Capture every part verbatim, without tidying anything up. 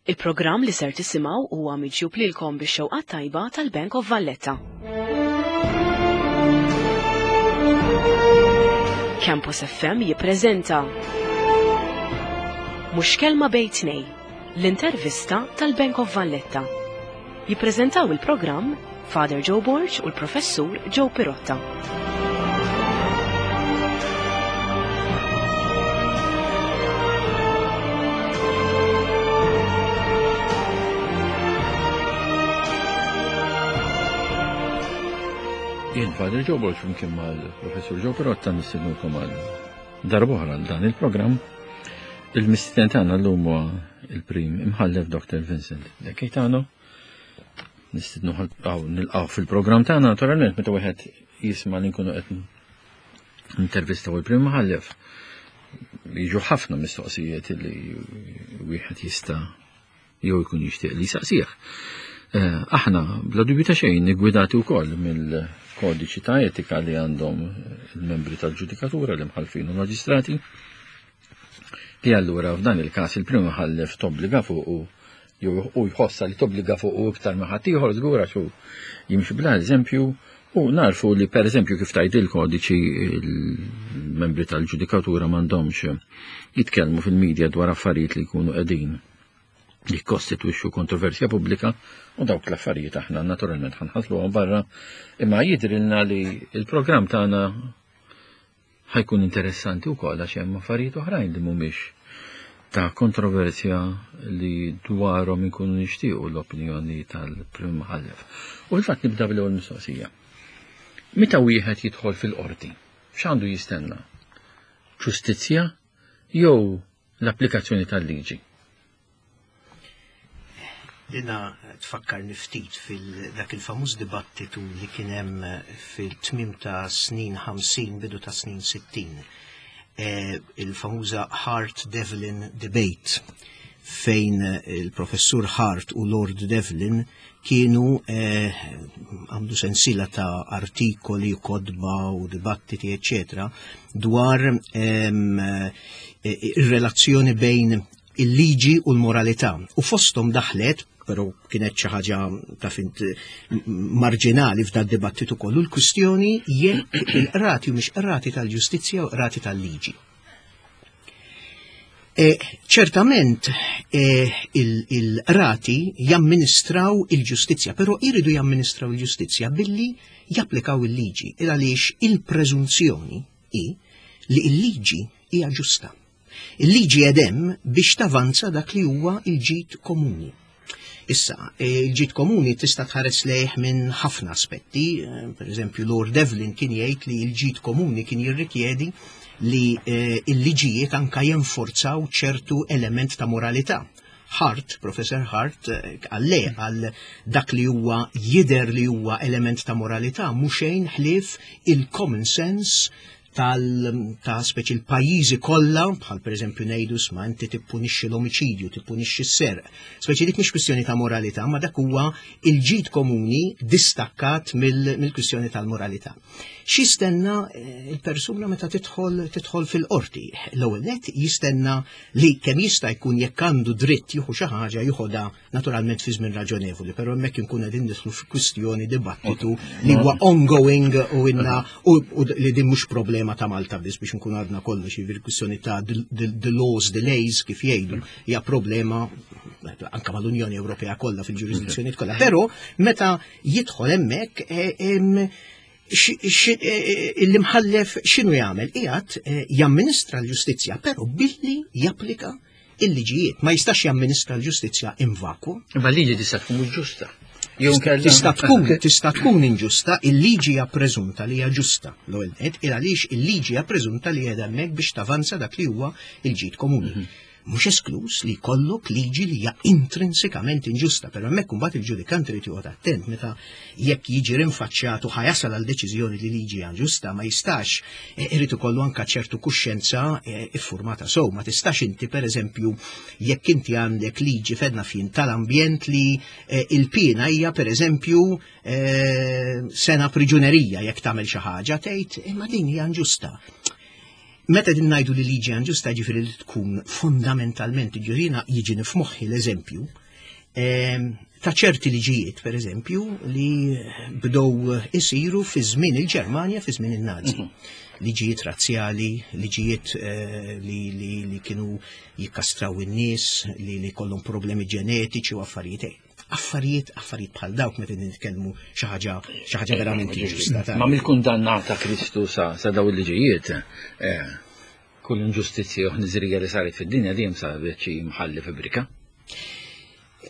Il-programm li ser tisimgħu huwa miġjub lilkom bix-xewqa tajba tal-Bank of Valletta. Campus F M jippreżenta Mhux Kelma Bejn Tnejn, l-intervista tal-Bank of Valletta. Jippreżentaw il-programm Father Joe Borg u l-Professur Joe Pirotta. Jien Father Joe Borg flimkien mal-Professur Joe Pirotta nistednukom għal darb'oħra għal dan il-programm. Il-mistieden tagħna llum huwa il-Prim Imħallef Doctor Vincent De Gaetano. Nistednu nilqgħu fil-programm tagħna. Naturalment, meta wieħed jisma' li nkunu qed intervistaw il-Prim Imħallef, jiġu ħafna mistoqsijiet li wieħed jista' jew jkun jixtieq li jsaqsih. Eh, aħna bla dubju ta' xejn niggwidati wkoll mill-kodiċi ta' etika li għandhom il-membri tal-ġudikatura, l-imħallfin u l-maġistrati, li allura f'dan il-każ il-Prim Imħallef tobbliga fuq jew u jħossa li tobbliga fuq u iktar ma' ħaddieħor żgur għax hu jimxi bla eżempju, u narfu li pereżempju kif tgħid il-kodiċi il-membri tal-ġudikatura m'għandhomx jitkellmu fil-medja dwar affarijiet li jkunu qegħdin jikkostitwixxu kontroversja pubblika, u dawk l-affarijiet aħna naturalment ħanħasluhom barra, imma jidrilna li il-programm tagħna ħajkun interessanti wkoll għax hemm affarijiet oħrajn li mhumiex ta' kontroversja li dwarhom inkunu nixtiequ l-opinjoni tal-Prim Imħallef. U fil-fatt nibda bl-ewwel mistoqsija. Meta wieħed jidħol fil-qorti, x'għandu jistenna? Ġustizzja jew l-applikazzjoni tal-liġi? Dina tfakkarni ftit fil-dak il-famuż dibattitu li kien hemm fil-tmim ta' snin ħamsin, bidu ta' snin sittin. E, il-famuża Hart-Devlin debate, fejn il-professur Hart u Lord Devlin kienu għamlu e, sensila ta' artikoli, kotba u dibattiti, eccetera, dwar ir-relazzjoni bejn il-liġi u l-moralità. U fosthom daħlet, però kienet xi ħaġa ta' fint marġinali f'dan dibattitu kollu, l-kwistjoni jekk il-qrati u mhix qrati tal-ġustizzja u qrati tal-liġi. E, ċertament e, il-qrati jamministraw il-ġustizzja, però jridu jamministraw il-ġustizzja billi japplikaw il-liġi, il għaliex il-preżunzjoni hi li il-liġi hija ġusta. Il-liġi edem biex tavanza dak li huwa il-ġid komuni. Issa, il-ġid komuni tista' tħares lejh minn ħafna aspetti. Per eżempju, Lord Devlin kien jgħid li l-ġid komuni kien jirrikjedi li l-liġijiet anka jenforzaw ċertu element ta' moralità. Hart, Professor Hart, għalle għal dak li huwa jider li huwa element ta' moralità mhux xejn ħlief il-common sense tal ta' speċi l-pajjiżi kollha, bħal pereżempju ngħidu sma inti tippunixxi l-omiċidju, tippunixxi s-serq. Speċi dik mhix kwistjoni ta' moralità, ma dak huwa il-ġid komuni distakkat mill-kwistjoni tal-moralità. X'jistenna il-persuna meta tidħol tidħol fil-qorti? L-ewwel nett jistenna li kemm jista' jkun jekk għandu dritt jieħu xi ħaġa jieħodha naturalment fi żmien raġonevoli, però hemmhekk inkun qegħdin nidħlu fi kwistjoni dibattitu li huwa ongoing u inna u li din mhux problema ta' Malta biss biex nkun għadna kollox, jiġifieri kwistjoni ta' the laws delays kif jgħidu hija problema anke mal-Unjoni Ewropea kollha fil-ġurisdizzjoni kollha. Però meta jidħol hemmhekk l-imħallef x'inhu jagħmel? Qiegħed jamministra l-ġustizzja, però billi japplika il-liġijiet. Ma jistax jamministra l-ġustizzja in vacuum. Imma l-liġi tista' tkun mhux ġusta. Tista' tkun, tista' tkun inġusta, il-liġi hija preżunta li hija ġusta. L-ewwel nett, il għaliex il-liġi hija preżunta li qiegħda hemmhekk biex tavanza dak li huwa il-ġid komuni. Mhux esklus li jkollok liġi li hija intrinsikament inġusta, però hemmhekk imbagħad il-ġudikant irid joqgħod attent meta jekk jiġi rinfaċċjat u ħajasal għal deċiżjoni li liġi hija inġusta, ma jistax, irid ikollu anke ċertu kuxjenza iffurmata sew. Ma tistax inti pereżempju jekk inti għandek liġi fedna fin tal-ambjent li il-pina hija pereżempju sena priġunerija jekk tagħmel xi ħaġa, tgħid imma din hija inġusta. Meta din ngħidu li liġi inġusta, ġifieri li tkun fondamentalment ġurina, jiġi f'moħħi l-eżempju ta' ċerti liġijiet, per eżempju, li bdew isiru fi żmien il-Ġermanja, fi żmien il-Nazi. Mhm. Liġijiet razzjali, liġijiet eh, li, li, li kienu jikkastraw in-nies, li, li kollhom problemi ġenetiċi u affarijiet affarijiet affarijiet bħal dawk meta nitkellmu xi ħaġa xi ħaġa verament inġusta. Ma mill-kundannata Kristu sa sa daw il-liġijiet, eh, kull inġustizzja u ħniżrija li saret fid-dinja dejjem saret xi mħalli fibrika.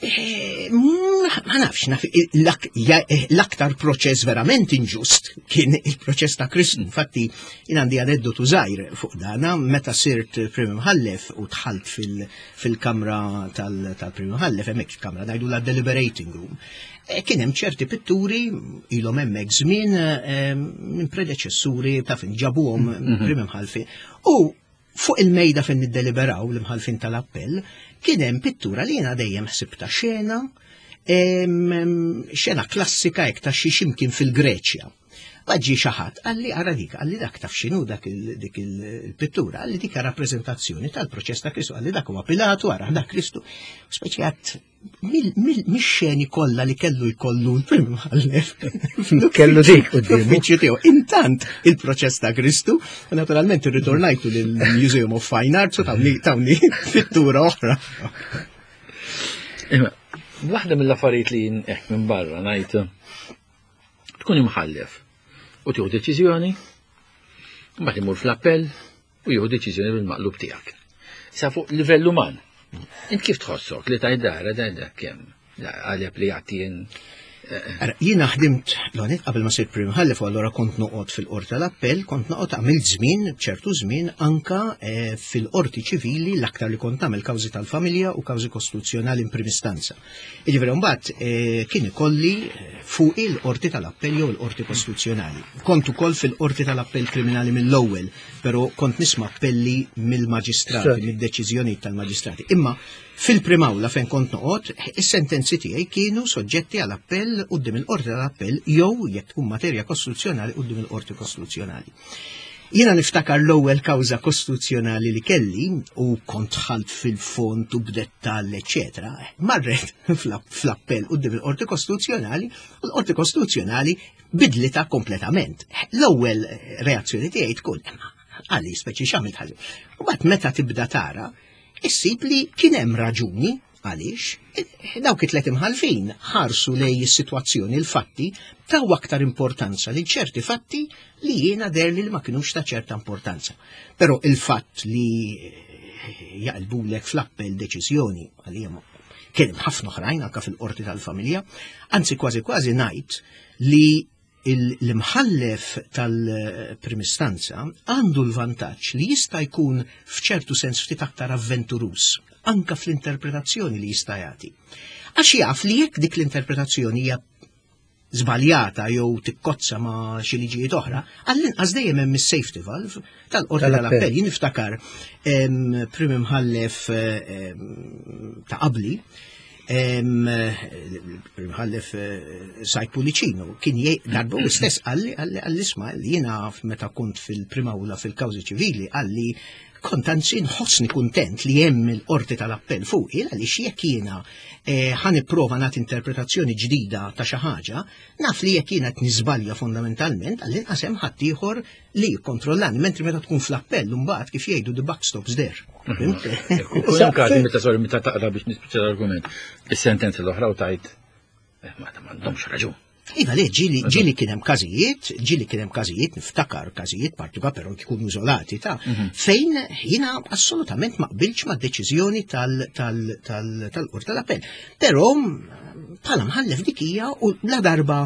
Eh, ma nafx, naf, eh, l-aktar proċess verament inġust kien il-proċess ta' Kristu. Infatti, jien għandi aneddotu żgħir fuq dana, meta sirt prim imħallef u dħalt fil-kamra tal-prim imħallef, hemmhekk kamra ngħidu la deliberating room. Eh, kien hemm ċerti pitturi ilhom hemmhekk żmien minn predeċessuri ta' fin ġabuhom mhm. prim imħallfi. U fuq il-mejda fejn niddeliberaw l-imħalfin tal-appell, kien hemm pittura li jiena dejjem ħsibta xena, xena klassika hekk ta' xi ximkien fil-Greċja. Ġie xi ħadd, qalli ara dik, qalli dak taf x'inhu dak dik il-pittura, qalli dik rappreżentazzjoni tal-proċess ta' Kristu, qalli dak huwa Pilatu, ara dak Kristu. Speċi għat mix-xeni kollha li kellu jkollu l-prim imħallef. Kellu dik quddiem tiegħu. Intant il-proċess ta' Kristu, u naturalment irritornajtu lill-Museum of Fine Arts u tawni tawni pittura oħra. Waħda mill-affarijiet li hekk minn barra ngħid tkun imħallef u tieħu deċiżjoni, mbagħad imur fl-appell u jieħu deċiżjoni bil-maqlub tiegħek. Sa fuq livell uman. Int kif tħossok li tajt dara da kemm għalep li għattien? Jiena ħdimt l qabel ma sirt prim imħallef, allura kont noqgħod fil-qorti tal-appell, kont noqgħod għamilt żmien, ċertu żmien anka eh, fil-qorti ċivili, l-aktar li kont nagħmel kawżi tal-familja u kawżi kostituzzjonali in prim istanza. Jiġifieri mbagħad eh, kien ikolli eh, fuq il-qorti tal-appell jew il-qorti kostituzzjonali. Kont ukoll fil-qorti tal-appell kriminali mill-ewwel, però kont nisma' appelli mill-maġistrati, mid-deċiżjonijiet tal-maġistrati. Imma fil-primawla fejn kont noqgħod, is-sentenzi tiegħi kienu soġġetti għal appell quddiem il-qorti tal-appell jew jekk tkun materja kostituzzjonali quddiem il-qorti kostituzzjonali. Jiena niftakar l-ewwel kawża kostituzzjonali li kelli u kont dħalt fil-fond u b'dettall, eċetera, marret fl-appell quddiem il-qorti kostituzzjonali u l-qorti kostituzzjonali bidlita kompletament. L-ewwel reazzjoni tiegħi tkun għali speċi x'għamilt ħażin. U mbagħad meta tibda tara, issib li kien hemm raġuni għaliex dawk it-tlet imħalfin ħarsu lej is-sitwazzjoni, il-fatti, taw aktar importanza li ċerti fatti li jiena deherli li ma kinux ta' ċerta importanza. Però il-fatt li jaqlbulek fl-appell deċiżjoni għalija kien hemm ħafna oħrajn anke fil-qorti tal-familja, anzi kważi kważi ngħid li l-imħallef tal-primistanza għandu l-vantaġġ li jista' jkun f'ċertu sens ftit aktar avventurus anka fl-interpretazzjoni li jista' jagħti. Għax jaf li jekk dik l-interpretazzjoni hija żbaljata jew tikkozza ma' xi liġijiet oħra, għall-inqas dejjem hemm is-safety valve tal-qorti tal-appell. Jien niftakar prim imħallef ta' qabli, Imħallef Said Pullicino, kien darba u stess qalli qalli qalli isma' li jiena meta kont fil-primawla fil-kawżi ċivili, qalli kont anzi nħossni kuntent li hemm il-qorti tal-appell fuqi, għaliex jekk jiena ħa nipprova nagħti interpretazzjoni ġdida ta' xi ħaġa, naf li jekk jiena qed niżbalja fondamentalment, għall-inqas hemm ħaddieħor li jikkontrollani, mentri meta tkun fl-appell mbagħad kif jgħidu the buck stops there. Kull każi meta sorry meta taqra biex nispiċċa l-argument, is-sentenza l-oħra u tajt eh, ma m'għandhomx raġun. Iva le, ġieli ġieli kien hemm każijiet, ġieli kien hemm każijiet, niftakar każijiet partikolar però jkunu iżolati ta' mhm. fejn jiena assolutament ma qbilx ma' deċiżjoni tal-qorti tal-appell. Però bħala mħallef dik hija u la darba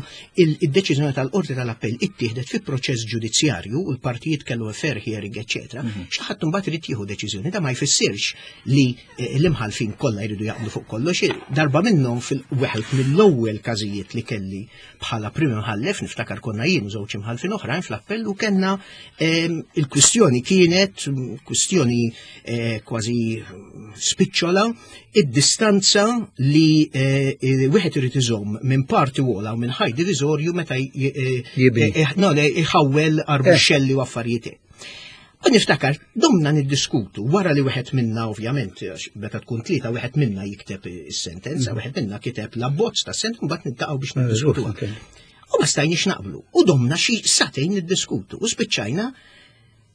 il-deċiżjoni tal-qorti tal-appell ittieħdet fi proċess ġudizzjarju u l-partijiet kellu fair hearing, eċetera, mhm. xi ħadd imbagħad irid jieħu deċiżjoni. Da ma jfissirx li eh, l-imħalfin kollha jridu jaqblu fuq kollox. Darba minnhom fil-weħed mill-ewwel każijiet li kelli bħala prim imħallef, niftakar konna jien u żewġ imħallfin oħrajn fl-appell u kellna ehm, il-kwistjoni kienet kwistjoni eh, kważi spiċċola, id-distanza li eh, wieħed irid iżomm minn party wall u minn ħajt diviżorju meta jħawwel arbuxxelli u affarijiet. U niftakar, domna niddiskutu, wara li wieħed minna ovvjament, għax meta tkun tlieta wieħed minna jikteb is-sentenza, wieħed minna kiteb l-abbozz tas-sentenza, mbagħad niltaqgħu biex niddiskutu. U ma stajniex naqblu. U domna xi sagħtejn niddiskutu. U spiċċajna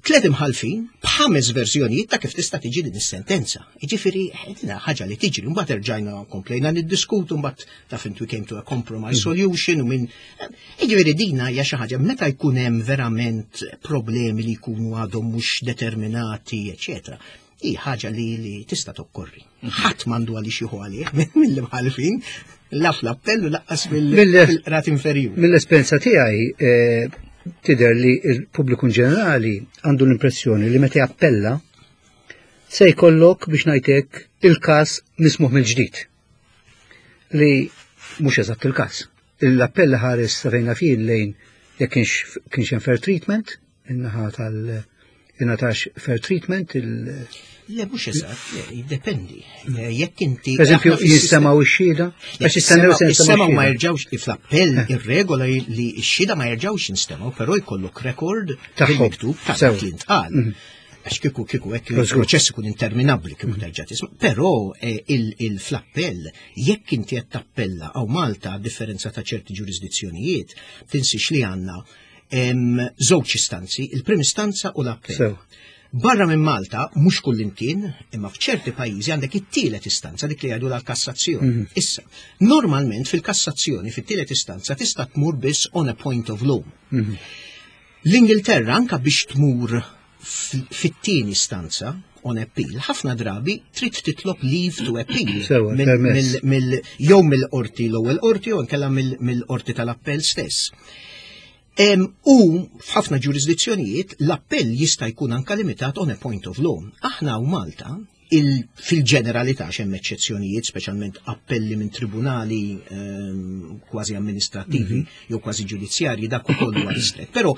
tliet imħallfin b'ħames verżjonijiet ta' kif tista' tiġi din is-sentenza. Jiġifieri dina ħaġa li tiġri, mbagħad erġajna komplejna niddiskutu, mbagħad taf int we came to a compromise solution u minn Jiġifieri dina hija xi ħaġa meta jkun hemm verament problemi li jkunu għadhom mhux determinati, eċetera. Hi ħaġa li, li tista' tokkorri. Ħadd m'għandu għaliex jieħu għalih mill-imħallfin, la fl-appell u lanqas fil-qrati inferjuri. Mill-esperjenza tiegħi eh, tidher li l-pubbliku ġenerali għandu l-impressjoni li meta jappella se jkollok biex ngħidlek il-każ mismugħ mill-ġdid. Li mhux eżatt il-każ. L-appell ħares rejna fih lejn jekk kienx kienx hemm fair treatment, in-naħa tal ingħatax fair treatment il Le, mhux eżatt, le, jiddependi. Jekk inti. Per eżempju, aħna fis-sistema- jinstemgħu ix-xhieda, għax jistennew se Is-semgħu ma jinstemgħu jerġgħux fl-appell ir-regola li x-xhieda ma jerġgħux jinstemgħu, però jkollok rekord Tagħhom. bil-miktub ta' Sew. dak li ntqal. Għax kieku kieku hekk Żgur. il-proċess ikun interminabbli kieku terġa' tisma'. Però eh, il- il-fl-appell jekk inti qed tappella hawn Malta a differenza ta' ċerti ġurisdizzjonijiet, tinsix li għandna em, żewġ istanzi, il-prim istanza u l-appell. Sew. Barra minn Malta, mhux kullimkien, imma f'ċerti pajjiżi għandek it-tielet istanza dik li jgħidu l-kassazzjoni. Issa, normalment fil-kassazzjoni, fit-tielet istanza tista' tmur biss on a point of law. L-Ingilterra anka biex tmur f- fit-tieni istanza on appeal, ħafna drabi trid titlob leave to appeal. Sewa, Mill- permess. mill- mill- jew mill-qorti l-ewwel qorti jew inkella mill- mill-qorti tal-appell stess. Em, u f'ħafna ġurisdizzjonijiet l-appell jista' jkun anka limitat on a point of law. Aħna hawn Malta il, fil-ġeneralità hemm eċċezzjonijiet, speċjalment appelli minn tribunali ehm, kważi amministrativi jew kważi ġudizzjarji dak ukoll huwa ristret. Però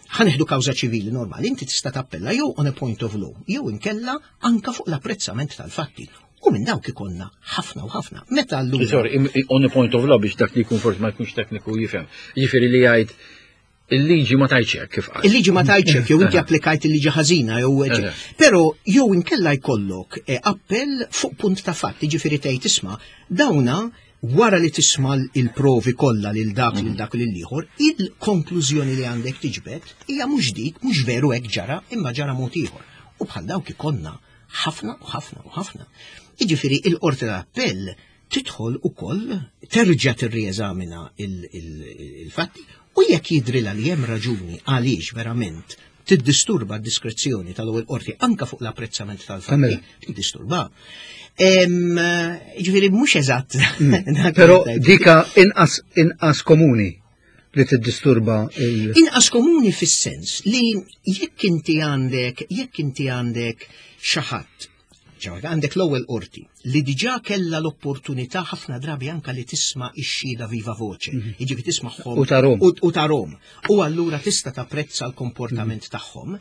ħa nieħdu kawża ċivili normali, inti tista' tappella jew on a point of law, jew inkella anka fuq l-apprezzament tal-fatti. U minn dawk ikollna ħafna u ħafna. Meta allura Sorry, im- on a point of law biex dak li jkun forsi ma jkunx tekniku jifhem. Jiġifieri li jgħid il-liġi ma tgħidx hekk kif qal. Il-liġi ma tgħidx jew inti applikajt il-liġi ħażina jew Eħe. Però jew inkella jkollok eh, appell fuq punt ta' fatt, jiġifieri tgħid isma' dawna wara li tisma' il-provi kollha lil dak lil dak lil ieħor, il-konklużjoni li għandek tiġbed hija mhux dik, mhux veru hekk ġara, imma ġara mod ieħor. U bħal dawk ikollna ħafna u ħafna u ħafna. Jiġifieri il-qorti tal-appell tidħol ukoll terġa' tirrieżamina il-fatti u jekk jidrilha li hemm raġuni għaliex verament tiddisturba d-diskrezzjoni tal-ewwel qorti anka fuq l-apprezzament tal-fatti, Tagħmilha. tiddisturba. Em, Ġifieri mhux eżatt. dak Però li tgħid. dika inqas inqas komuni li tiddisturba il- Inqas komuni fis-sens li jekk inti għandek, jekk inti għandek xi ħadd, ġewwa għandek l-ewwel qorti li diġà kellha l-opportunità ħafna drabi anka li tisma' ix-xhieda viva voce, jiġifieri tismagħhom U tarahom. u, u tarahom. U allura tista' tapprezza l-komportament tagħhom.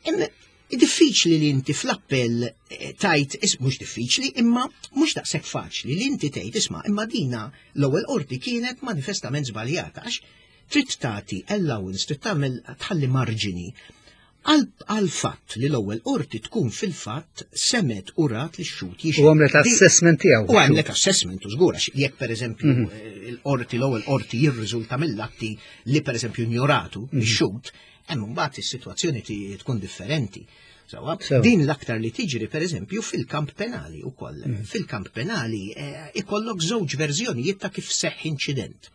Imma diffiċli li inti fl-appell eh, tgħid, is mhux diffiċli, imma mhux daqshekk faċli li inti tgħid isma' imma dina l-ewwel qorti kienet manifestament żbaljata għax trid tagħti allowance, trid tagħmel tħalli marġini għal għal fatt li l-ewwel qorti tkun fil-fatt semgħet u rat li x-xhud jixhed. U għamlet Di- assessment tiegħu. U għamlet assessment u żgur għax jekk per eżempju eh, il-qorti l-ewwel qorti jirriżulta mill-atti li per eżempju ignoratu x-xhud, hemm mbagħad is-sitwazzjoni ti- tkun differenti. Sewwa, Sewa. din l-aktar li tiġri per eżempju fil-kamp penali ukoll. Fil-kamp penali eh, ikollok żewġ verżjonijiet ta' kif seħħ inċident.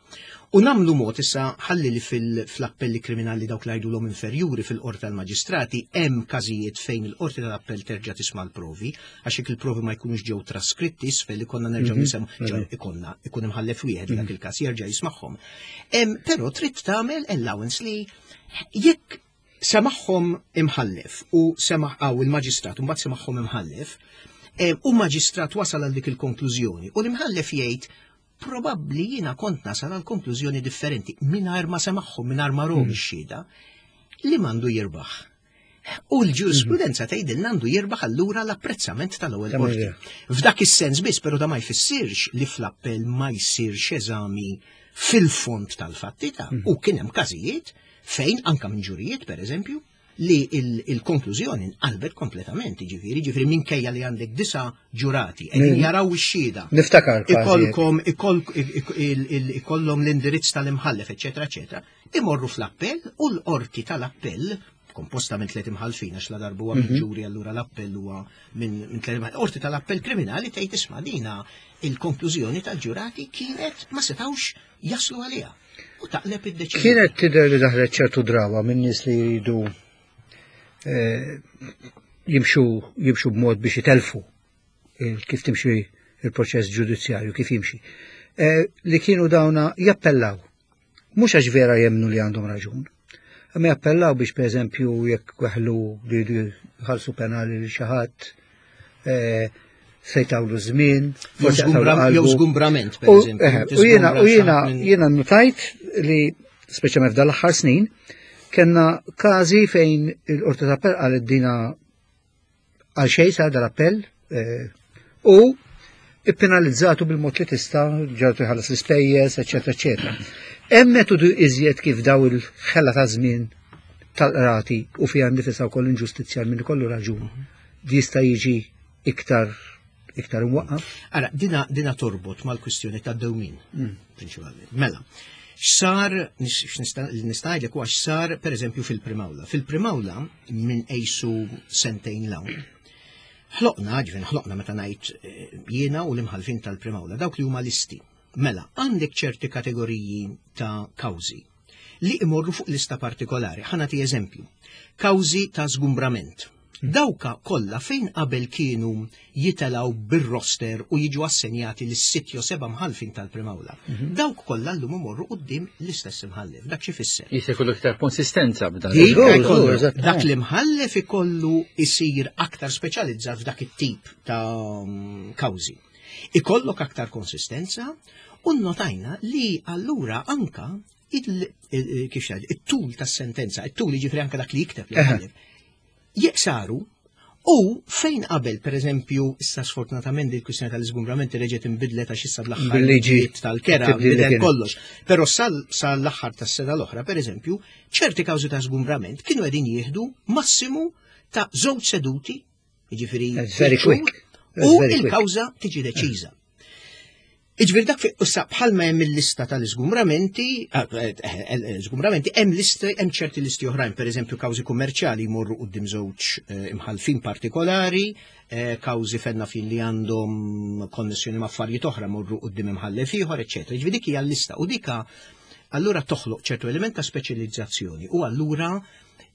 U nagħmlu mod issa ħalli li fil-appelli kriminali dawk li jgħidulhom inferjuri fil-qorti tal-maġistrati hemm każijiet fejn il-qorti tal-appell terġa' tisma' l-provi għax jekk il-provi ma jkunux ġew traskritti isfel li konna nerġgħu nisimgħu ġew ikollna ikun imħallef wieħed dak il-każ jerġa' jismagħhom. Em, Però trid tagħmel allowance li jekk semagħhom imħallef u sema' għaw il-maġistrat u mbagħad semagħhom imħallef, em, u maġistrat wasal għal dik il-konklużjoni u l-imħallef jgħid probabbli jiena kont nasal għal konklużjoni differenti mingħajr ma semagħhom, mingħajr ma rahom ix-xhieda, li m'għandu jirbaħ. U l-ġurisprudenza tgħidilna għandu jirbaħ allura l-apprezzament tal-ewwel Kemm qorti. hija. F'dak is-sens biss, però da ma jfissirx li fl-appell ma jsirx eżami fil-fond tal-fatti ta' u kien hemm każijiet fejn anka minn ġurijiet per eżempju li il-konklużjoni nqalbet kompletament, ġifieri, ġifieri minkejja li għandek disa ġurati, qegħdin jaraw ix-xhieda. Niftakar. Ikollkom ikollhom l-indirizz tal-imħallef, eċetera, eċetera. Imorru fl-appell u l-qorti tal-appell komposta minn tliet imħallfin għax la darba huwa minn mhm. ġuri allura l-appell huwa minn tliet imħallfin. Qorti tal-appell kriminali tgħid isma' dina il-konklużjoni tal-ġurati kienet ma setgħux jaslu għaliha. U taqleb id-deċiżjoni. Kienet tidher li daħlet ċertu drawa minn nies li jridu eh, jimxu jimxu b'mod biex itelfu kif timxi il-proċess ġudizzjarju, kif jimxi. Eh, li kienu dawna jappellaw. Mhux għax vera jemnu li għandhom raġun. Imma jappellaw biex per eżempju jekk weħlu li jħallsu penali li xi ħadd eh, se jtawlu żmien, jew żgumbrament per eżempju. U jiena u jiena jiena notajt li speċjalment f'dan l-aħħar snin kellna każi fejn il-Qorti ta' Appell qalet dina għal xejn sar dal-appell eh, u ippenalizzatu bil-mod li tista' ġartu jħallas l-ispejjeż, eċetera, eċetera. Hemm metodu iżjed kif daw il-ħela ta' żmien tal-qrati u fiha nifisha wkoll inġustizzja min ikollu raġun jista' jiġi iktar iktar imwaqqaf. Ara, dina, dina torbot mal-kwistjoni ta' dewmin, mm. prinċipalment. Mela, x'sar, nista' ngħidlek huwa x'sar per eżempju fil-Primawla. Fil-Primawla minn ejsu sentejn 'l hawn. Ħloqna, ġifieri ħloqna meta ngħid eh, jiena u l-imħalfin tal-Primawla, dawk li huma listi. Mela, għandek ċerti kategoriji ta' kawżi li imorru fuq lista partikolari. Ħa nagħti eżempju. Kawżi ta' zgumbrament. Dawka kollha fejn qabel kienu jitelaw bir-roster u jiġu assenjati lis sitt jew seba' mħalfin tal-Primawla. Mhm. Dawk kollha llum imorru quddiem l-istess imħallef. Dak xi fisser? Jista' jkollu iktar konsistenza b'dan. Dak l-imħallef ikollu isir aktar speċjalizzat f'dak it-tip ta' kawżi. Ikollok aktar konsistenza u notajna li allura anka kif it-tul tas-sentenza, it-tul jiġifieri anka dak li jikteb l-imħallef jeqsaru u fejn qabel, per eżempju, issa sfortunatament il-kwistjoni tal-iżgumbramenti reġgħet inbidlet għax issa bl-aħħar tal-kera bidel kollox. Però sal-aħħar tas-sena l-oħra, per eżempju, ċerti kawżi ta' żgumbrament kienu qegħdin jieħdu massimu ta' żewġ seduti, jiġifieri u il-kawża tiġi deċiża. Iġifieri dak issa bħalma hemm il-lista tal-iżgumbramenti, eh, eh, eh, żgumbramenti hemm listi hemm ċerti listi oħrajn, pereżempju kawżi kummerċjali jmorru quddiem żewġ imħalfin partikolari, kawżi fenna fin li għandhom konnessjoni ma' affarijiet oħra morru quddiem imħallef ieħor, eċetera. Iġifieri dik hija l-lista u dika allura toħloq ċertu element ta' speċjalizzazzjoni u allura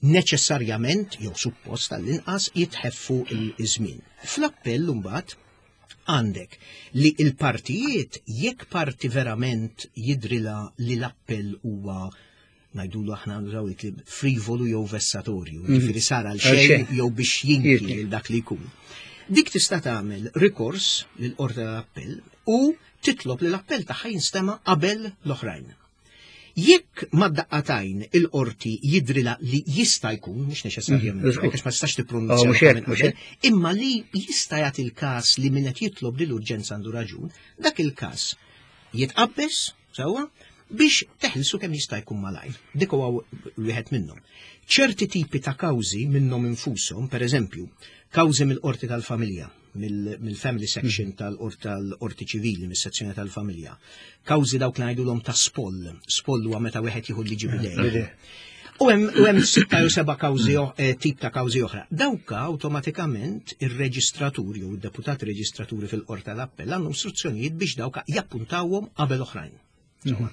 neċessarjament jew suppost għall-inqas jitħeffu il-żmien. Fl-appell mbagħad għandek li il-partijiet jekk parti verament jidrilha li l-appell huwa ngħidulu aħna nużaw il frivolu jew vessatorju, mhm. ġifieri sar għal xejn jew biex jinki lil dak li jkun. Dik tista' tagħmel rikors lil qorti tal-appell u titlob li l-appell tagħha jinstema' qabel l-oħrajn. Jekk mad-daqqatajn il-qorti jidrilha li jista' jkun, mhux neċessarjament, mm, għax ma tistax tippronunzja, oh, imma li jista' jagħti il-każ li min qed jitlob li l-urġenza għandu raġun, dak il-każ jitqabbes, sewwa, biex teħilsu kemm jista' jkun malajr. Dik huwa wieħed minnhom. Ċerti tipi ta' kawżi minnhom infushom, per eżempju, kawżi mill-qorti tal-familja, mill-family section mm. tal-qorti ċivili, mis-sezzjoni tal-familja. Kawżi dawk li ngħidulhom ta' spoll, spoll huwa meta wieħed jieħu liġi b'idejh. U hemm sitta jew seba' kawżi eh, tip ta' kawżi oħra. Dawka awtomatikament ir-reġistratur jew id-deputati reġistraturi fil-qorti tal-appell għandhom istruzzjonijiet biex dawka jappuntawhom qabel oħrajn. Mhm.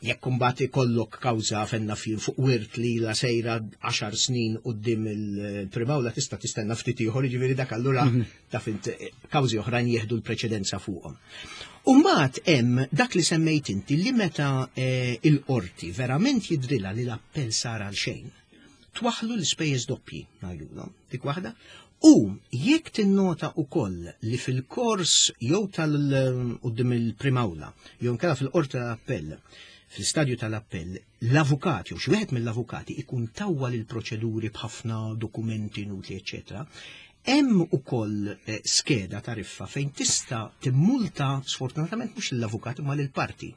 Jekk imbagħad ikollok kawża fenna fin fuq wirt li la sejra għaxar snin quddiem il-primawla tista' tistenna ftit ieħor, jiġifieri dak allura mhm. taf int kawżi oħrajn jieħdu l-preċedenza fuqhom. Umbagħad hemm dak li semmejt inti li meta eh, il-qorti verament jidrilha li l-appell sar għal xejn, twaħlu l-ispejjeż doppji ngħidulhom, dik waħda. U jekk tinnota ukoll li fil-kors jew tal-quddiem il-primawla, jew inkella fil-qorti tal-appell, fl-istadju tal-appell, l-avukat jew xi wieħed mill-avukati ikun tawwal il-proċeduri b'ħafna dokumenti inutli, eċetera, Hemm ukoll eh, skeda tariffa fejn tista' timmulta, sfortunatament mhux l-avukat imma lill-parti.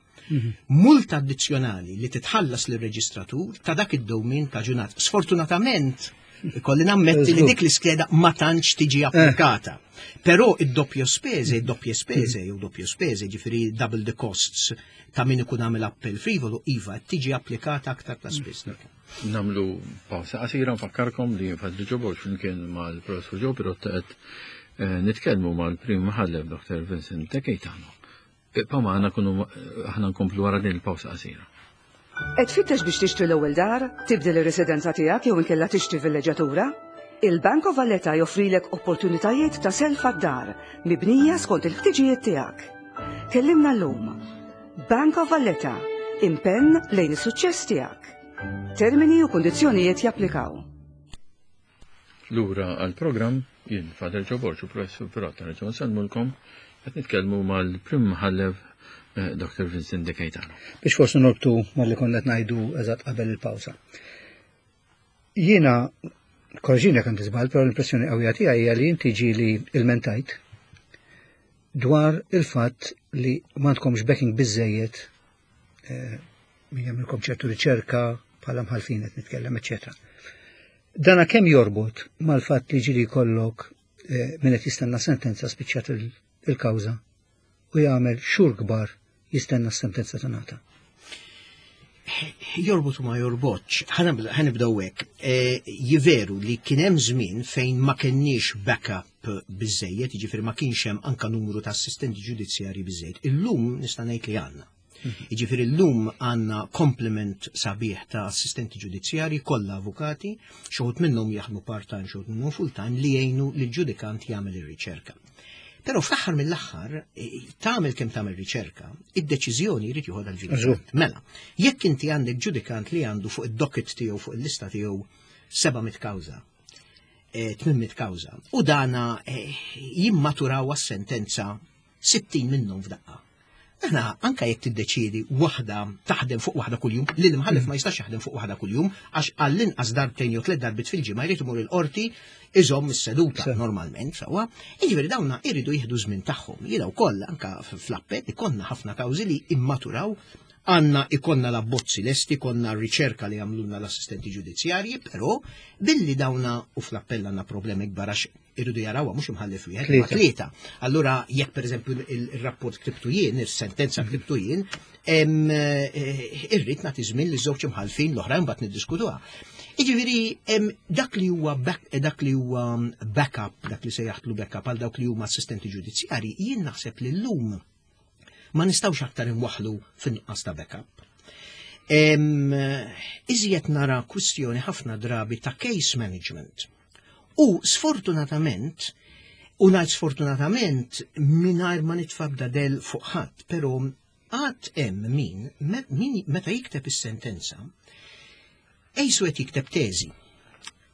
Multa addizzjonali li titħallas lir-reġistratur ta' dak id-dewmien kaġunat. Sfortunatament, ikolli nammetti li dik l-iskeda ma tantx tiġi applikata. Però id-doppio spese, id-doppie spese, jew doppio spese, ġifieri double the costs ta' min ikun għamel appell frivolu, iva, tiġi applikata aktar ta' spiss. Nagħmlu pawsa qasira. Nfakkarkom li Father Joe Borg flimkien mal-Professur Joe Pirotta qed eh, nitkellmu mal-Prim Imħallef Doctor Vincent De Gaetano. Ibqgħu magħna, kunu aħna nkomplu wara din il-pawsa qasira. Qed tfittex biex tixtri l-ewwel dar, tibdel ir-residenza tiegħek jew inkella tixtri villeġġatura? Il-Bank of Valletta joffrilek opportunitajiet ta' self għad-dar mibnija skont il-ħtiġijiet tiegħek. Kellimna llum. Bank of Valletta, impenn lejn is-suċċess tiegħek. Termini u kondizzjonijiet japplikaw. Lura għal-programm, jien Father Joe Borg u Professur Pirotta nerġgħu nsellmulkom, qed nitkellmu mal-Prim Imħallef eh, Doctor Vincent De Gaetano. Biex forsi norbtu mal-li konna qed ngħidu eżatt qabel il-pawsa. Jiena, korreġini jekk żball, però l-impressjoni qawwija tiegħi hija li inti ġieli ilmentajt dwar il-fatt li m'għandkomx backing biżejjed eh, min jagħmilkom ċertu riċerka bħala mħalfin qed nitkellem, eċetera. Dana kemm jorbot mal-fatt li ġieli jkollok eh, min qed jistenna sentenza, spiċċat il-kawża u jagħmel xhur kbar jistenna s-sentenza tingħata? Jorbot u ma jorbotx. Ħa nibdew hekk. E, Jiveru li kien hemm żmien fejn ma kenniex backup biżejjed, jiġifieri ma kienx hemm anka numru ta' assistenti ġudizzjarji biżejjed. Illum nista' ngħid li għandna. Jiġifieri llum għandna complement sabiħ ta' assistenti ġudizzjarji, kollha avukati, xi wħud minnhom jaħdmu part-time, xi wħud minnhom full-time, li jgħinu lill-ġudikant jagħmel ir-riċerka. Però fl-aħħar mill-aħħar, eh, tagħmel kemm tagħmel riċerka, id-deċiżjoni jrid joħodha l-ġudikant. Mela, jekk inti għandek ġudikant li għandu fuq id-docket tiegħu, fuq il-lista tiegħu seba' mitt kawża, eh, tmien mitt kawża, u dana eh, jimmaturaw għas-sentenza sittin minnhom f'daqqa. Aħna anka jekk tiddeċiedi waħda, taħdem fuq waħda kuljum, li l-imħallef ma jistax jaħdem fuq waħda kuljum għax għall-inqas darbtejn jew tliet darbiet fil-ġimgħa jrid imur il-qorti iżomm is-seduta normalment, sewwa. Jiġifieri dawna jridu jieħdu żmien tagħhom. Jiena wkoll anka fl-appell ikollna ħafna kawżi li immaturaw, għandna ikollna l-abbozzi lesti, konna riċerka li għamlulna l-assistenti ġudizzjarji, però billi dawna u fl-appell għandna problemi kbar għax irridu jarawha mhux imħallef wieħed, ma tlieta. Allura jekk pereżempju il-rapport ktibtu jien, is-sentenza ktibtu jien, eh, irrid nagħti żmien li żewġ imħalfin l-oħrajn mbagħad niddiskutuha. Jiġifieri dak li huwa dak li huwa backup, dak li sejjaħtlu backup għal dawk li huma assistenti ġudizzjarji, jien naħseb li llum ma nistgħux aktar inwaħlu fin-nuqqas ta' backup. Iżjed nara kwistjoni ħafna drabi ta' case management. U sfortunatament, u ngħid sfortunatament mingħajr ma nitfa' del fuq ħadd, però għad hemm min, min meta jikteb is-sentenza, qisu qed jikteb teżi.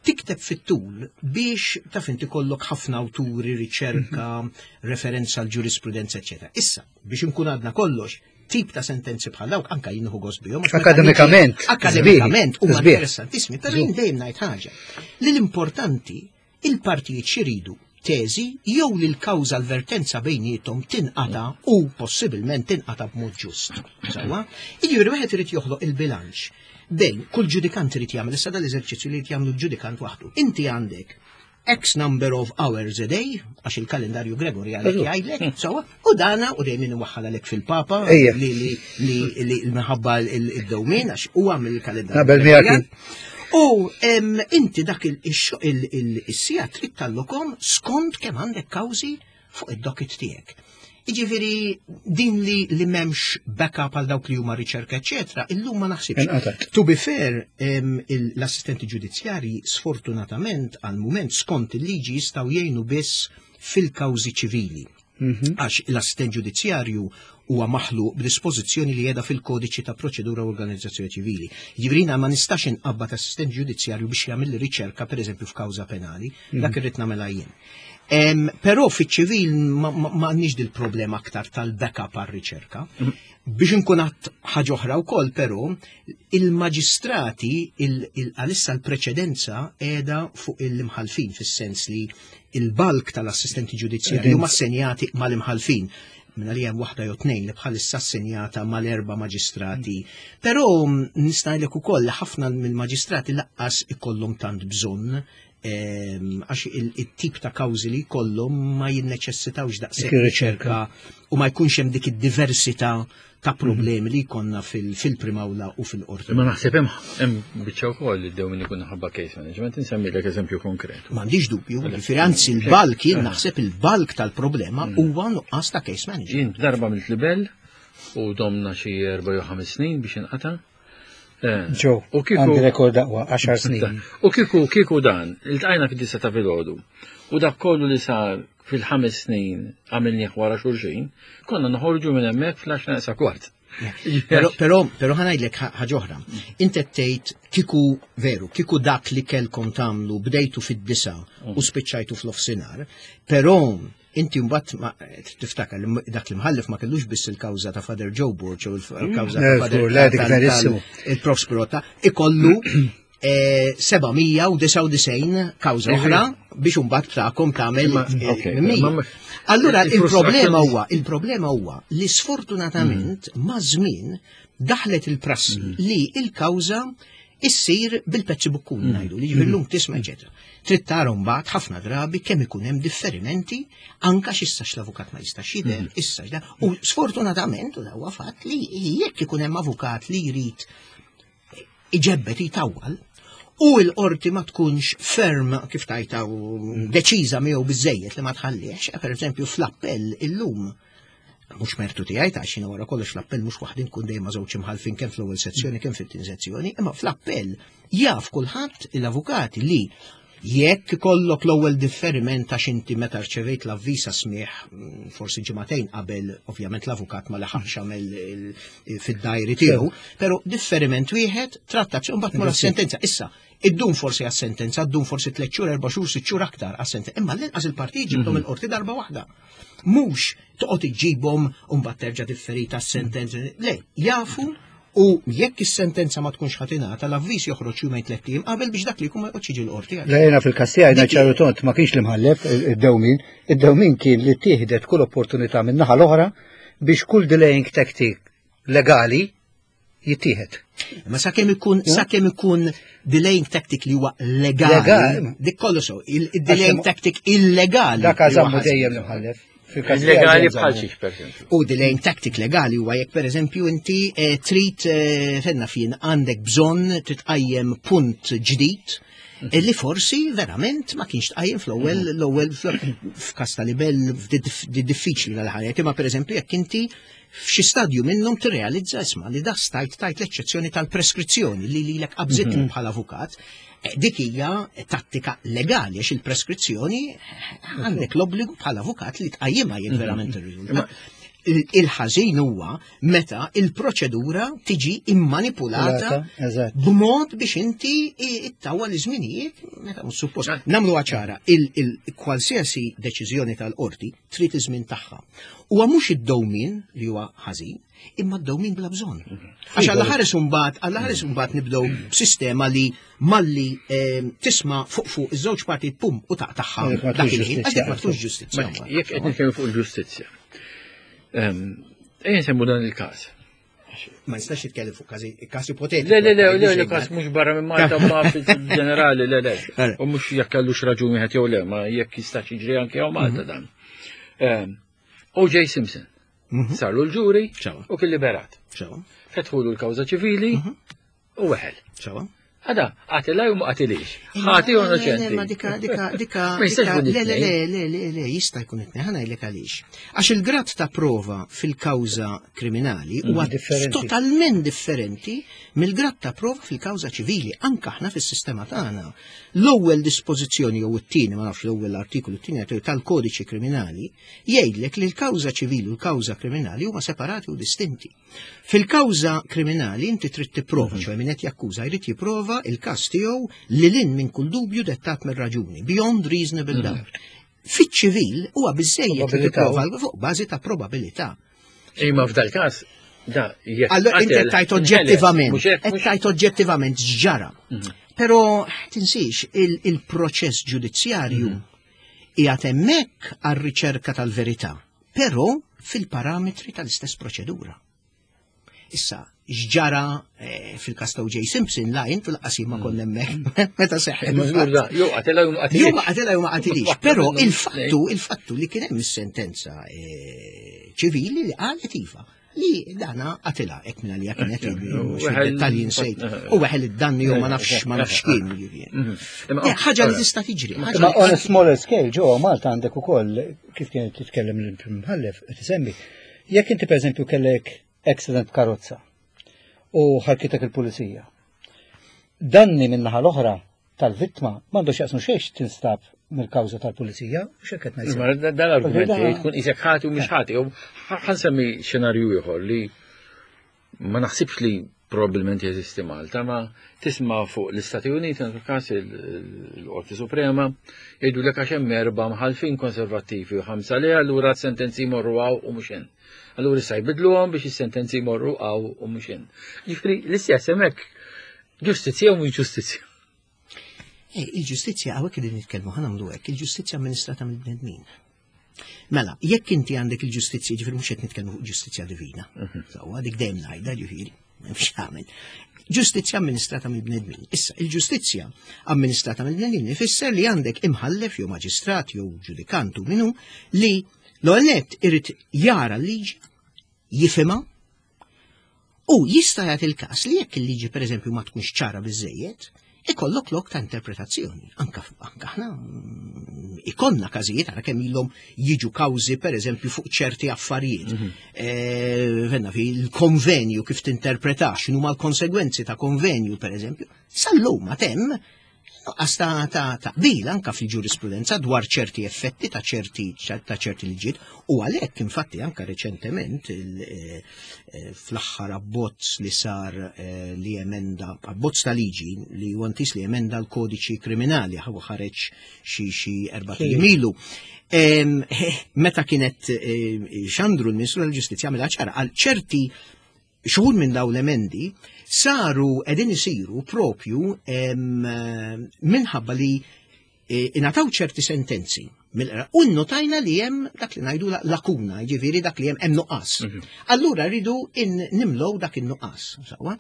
Tikteb fit-tul biex taf inti kollok ħafna awturi, riċerka, referenza għal ġurisprudenza, eċetera. Issa, biex nkun għadna kollox, tip ta' sentenzi bħal dawk anka jien nieħu gost bihom. Akademikament. Akademikament huma interessantissimi, però jien dejjem ngħid ħaġa. Li l-importanti il-partijiet xiridu teżi jew li l-kawża l-vertenza bejniethom tinqata u possibilment tinqata b'mod ġust. Sewwa? Jiġifieri wieħed irid joħloq il-bilanċ bejn kull ġudikant irid jagħmel issa dal-eżerċizzju li jrid jagħmlu l-ġudikant waħdu. Inti għandek X number of hours a day, għax il-kalendarju Gregorjan jgħidlek, sewwa, u dana u dejjem inwaħħal għalek fil-Papa li li li li minħabba il-dewmien għax huwa mill-kalendarju. U inti dak is-siegħa trid tallokhom skont kemm għandek kawżi fuq id-docket tiegħek. Jiġifieri din li li m'hemmx backup għal dawk li huma riċerka, eċetera, illum ma naħsibx. To be fair, l-assistenti ġudizzjarji sfortunatament għal mument skont il-liġi jistgħu jgħinu biss fil-kawżi ċivili. Mhm. Għax l-assistent ġudizzjarju huwa maħluq b'dispożizzjoni li qiegħda fil-kodiċi ta' proċedura u organizzazzjoni ċivili. Jiġifieri ma nistax inqabbad assistent ġudizzjarju biex jagħmel riċerka pereżempju f'kawża penali, dak mhm. irrid nagħmilha jien. Em, Però fiċ-ċivil ma ma- ma għandniex dil-problema aktar tal-backup għar-riċerka. Biex nkun għat ħaġa oħra wkoll, però, il-maġistrati il- il- għalissa l-preċedenza qiegħda fuq il-imħalfin fis-sens li il-bulk tal-assistenti ġudizzjarji huma assenjati mal-imħalfin minna li hemm waħda jew tnejn li bħalissa assenjata mal-erba' maġistrati. Però mm, nista' ngħidlek ukoll li ħafna mill-maġistrati lanqas ikollhom tant bżonn ehm, għax il- il-tip ta' kawżi li jkollhom ma jinneċessitawx daqshekk Dik ir-riċerka. u ma jkunx hemm dik id-diversità ta' problemi li jkollna fil- fil-primawla u fil-qorti. Imma naħseb hemm hemm biċċa wkoll li dew min ikun ħabba case management, insemmilek eżempju konkret. M'għandix dubju, jiġifieri anzi il-bulk, jien naħseb il-bulk tal-problema huwa nuqqas ta' case management. Jien darba mill libel u domna xi erba' jew ħames snin biex inqata'. Eh, Ġo, U kieku għandi rekord aqwa, għaxar snin. U kieku kieku dan, iltqajna fid-disa ta' filgħodu. U dak kollu li sar fil-ħames snin għamilnieh wara xulxin, konna noħorġu minn hemmhekk fl-għaxra neqsa kwart. Però, però, però ħa ngħidlek ħaġa oħra. Inti tgħid kieku veru, kieku dak li kellkom tagħmlu bdejtu fid-disa u spiċċajtu f'nofsinhar, però inti mbagħad ma tiftakar li dak li mħallef ma kellux biss il-kawża ta' Father Joe Borg u il-kawża ta' Eh, Father żgur, le, dik verissimu. il-Prof Spirotta, ikollu eh, seba' mija u disgħa u disgħin kawża oħra biex imbagħad tagħkom tagħmel Ma- eh, ok, mija. ma- Allura il-problema il-frustrazzjoni- huwa il-problema huwa li sfortunatament ma' żmien daħlet il-prassi li il-kawża issir bil-pezzi bukkun ngħidu li jiġifieri llum tisma' eċetera. Trid tara mbagħad ħafna drabi kemm ikun hemm differimenti anka x'issa l-avukat ma jistax jidher, issa x'da. U sfortunatament u huwa fatt li jekk ikun hemm avukat li jrid iġebbet jitawwal u l-qorti ma tkunx ferm kif tajta u deċiża miegħu biżejjed li ma tħallix, per eżempju fl-appell illum mhux mertu tiegħi ta' xina wara kollox fl-appell mhux waħdin kun dejjem ma' żewġ imħalfin kemm fl-ewwel sezzjoni kemm fit-tieni sezzjoni, imma fl-appell jaf kulħadd l-avukati li jekk ikollok l-ewwel differiment għax inti meta rċevejt l-avviż smieħ mm, forsi ġimagħtejn qabel ovvjament l-avukat ma laħaqx għamel il- fid-diary tiegħu, però differiment wieħed trattazzjoni mbagħad mura sentenza. Issa, iddum forsi għas-sentenza, ddum forsi tliet xhur, erba' xhur, sitt xhur aktar għas-sentenza, imma l-inqas il-partijiet ġibthom il-qorti darba waħda. Mhux toqgħod iġġibhom u mbagħad terġa' differita s-sentenza. Le, jafu u jekk is-sentenza ma tkunx ħa tingħata, l-avviż joħroġ jumejn tliet ijiem qabel biex dak li jkun ma joqgħodx jiġi l-qorti. Le jena fil-każ tiegħi Dik- ċaru tont ma kienx l-imħallef id-dewmin, id-dewmin kien li tieħdet kull opportunità minn naħa l-oħra biex kull delaying tactic legali jittieħed. Ma sakemm ikun sakemm ikun delaying tactic li huwa legali, Legali. dik kollu so, il-delaying Għax- tactic illegali. Dak li huwa għażammu ħażin. dejjem l-imħallef. Fil-każ tiegħi Legali dejjem bħal żammu. xiex, per eżempju. U delaying tactic legali huwa jekk per eżempju inti eh, trid eh, fenna fien għandek bżonn titqajjem punt ġdid eh, li forsi verament ma kienx tqajjem fl-ewwel l-ewwel f'każ ta' libel di diffiċli l-ħajja. Imma per eżempju jekk inti f'xi stadju minnhom tirrealizza isma' li da stajt tajt l-eċċezzjoni tal-preskrizzjoni li lilek qabżitlek bħala avukat, eh, dik hija tattika legali għax il-preskrizzjoni għandek l-obbligu bħala avukat li tqajjimha jekk verament irriżulta. Il- Il-ħażin huwa meta il-proċedura tiġi immanipulata Lata, eżatt. b'mod biex inti ittawwa l-żminijiet meta mhux suppost. Nagħmlu ċara, il-kwalsiasi deċiżjoni tal-qorti trid iż-żmien tagħha. Huwa mhux id-dowmin li huwa ħażin, imma d-dowmin bla bżonn. Għax alla ħares imbagħad, alla ħares imbagħad nibdew b'sistema li malli eh, tisma' fuq fuq iż-żewġ partijiet pum u taqtagħha Dik ma dak tkunx il-ħin, għax dik ma tkunx ġustizzja. Ma jekk qed nitkellmu fuq il-ġustizzja. Ehm, Ejja nsemmu dan il-każ. Ma nistax nitkellem fuq każi każ ipotetiku. Le, le, le, le, le, każ mhux barra minn Malta ma fil-ġenerali, le, le. Għara. U mhux jekk kellux raġun wieħed jew le, ma jekk jistax jiġri anke hawn Malta dan. Ehm, O J. Simpson. Sarlu l-ġuri Sewwa. u kien liberat. Sewwa, Fetħulu l-kawża ċivili u weħel. Sewwa. Għada, qatilha u ma qatilix. Ħati u innoċenti. Ma dika, dika, dika, Ma jistax dika, ikun le, le, le, it-tnejn. le, le, le, jista' jkun it-tnejn, ħa ngħidlek għaliex. Għax il-grad ta' prova fil-kawża kriminali huwa Differenti. totalment differenti mill-grad ta' prova fil-kawża ċivili, anka aħna fis-sistema tagħna. L-ewwel dispożizzjoni jew it-tieni, ma nafx l-ewwel artikolu t-tieni tal-kodiċi kriminali jgħidlek li l-kawża ċivili u l-kawża kriminali huma separati u distinti. Fil-kawża kriminali inti trid tipprova, ċoè min qed jakkuża jrid jipprova il-każ tiegħu lil hinn minn kull dubju dettat mir-raġuni, beyond reasonable doubt. Fiċ-ċivil huwa biżejjed li tipprova fuq bażi ta' probabilità. Imma f'dal każ da jekk. Allora inti qed tajt oġġettivament, qed tajt oġġettivament x'ġara. Mhm. Però tinsiex il-proċess ġudizzjarju mhm. qiegħed hemmhekk għar-riċerka tal-verità, però fil-parametri tal-istess proċedura. Issa, x'ġara eh, fil-każ ta' O J Simpson la jien fil-qasim ma konna hemmhekk meta seħħ. Jew qatela jew ma qatilix. Jew ma qatela jew ma qatilix. Però il-fattu, il-fattu li kien hemm is-sentenza eh, ċivili li qalet iva li dana qatila hekk minn għalija kienet dettalji nsejt. U weħel id-danni jew ma nafx ma nafx kien jiġifieri. Mhm. Eh, ħaġa li tista' tiġri. Ma on a smaller scale ġewwa Malta għandek ukoll kif kienet titkellem l-Prim Mħallef qed isemmi. Jekk inti pereżempju kellek accident karozza u ħarkitek il-pulizija. Danni min-naħa l-oħra tal-vittma m'għandux jaqsmu xejn tinstab mill-kawża tal-pulizija, u x'hekk qed ngħid. Dal-argument tkun isek ħati u mhux ħati. Ħa nsemmi xenarju ieħor li ma naħsibx li probabbilment jeżisti Malta, ma tisma' fuq l-Istati Uniti, fil-każ il-Qorti Suprema, jgħidu lek għax hemm erba' mħalfin konservattivi u ħamsa li allura sentenzi jmorru hawn u mhux hemm. Allura issa jbidluhom biex is-sentenzi jmorru hawn u mhux hemm. Jiġifieri l-istess hemmhekk ġustizzja u mhux ġustizzja. Eh, il-ġustizzja hawnhekk qegħdin nitkellmu ħa nagħmlu hekk, il-ġustizzja amministrata mill-bnedmin. Mela, jekk inti għandek il-ġustizzja, ġifieri mhux qed nitkellmu fuq ġustizzja divina. Mhm. Sewwa dik dejjem ngħidha ġifieri, m'hemmx tagħmel. Ġustizzja amministrata mill-bnedmin. Issa, il-ġustizzja amministrata mill-bnedmin ifisser li għandek imħallef jew maġistrat jew ġudikant u minu li l-ewwel nett irid jara l-liġi, jifhimha u jista' jagħti il-każ li jekk il-liġi pereżempju ma tkunx ċara biżejjed, ikollok lok ta' interpretazzjoni. Anka anka aħna mm, ikollna każijiet ara kemm ilhom jiġu kawżi pereżempju fuq ċerti affarijiet. Mm -hmm. Venna fi il-konvenju kif tinterpretax, x'inhuma l-konsegwenzi ta' konvenju pereżempju. Sal-lum ma hemm nuqqas ta' ta' taqbil anka fil-ġurisprudenza dwar ċerti effetti ta' ċerti ta' ċerti liġijiet u għalhekk infatti anka reċentement eh, eh, fl-aħħar abbozz li sar eh, li emenda abbozz ta' liġi li huwa intiż li emenda l-kodiċi kriminali ħaw ħareġ xi xi erba' ilu. Meta kienet xandru l-Ministru tal-Ġustizzja għamilha ċara għal ċerti xhur minn dawn l-emendi saru qegħdin isiru propju minħabba li e, ingħataw ċerti sentenzi u notajna li hemm dak li ngħidu lakuna, jiġifieri dak li hemm hemm nuqqas. Mhm. Allura rridu nimlow dak in-nuqqas, sewwa.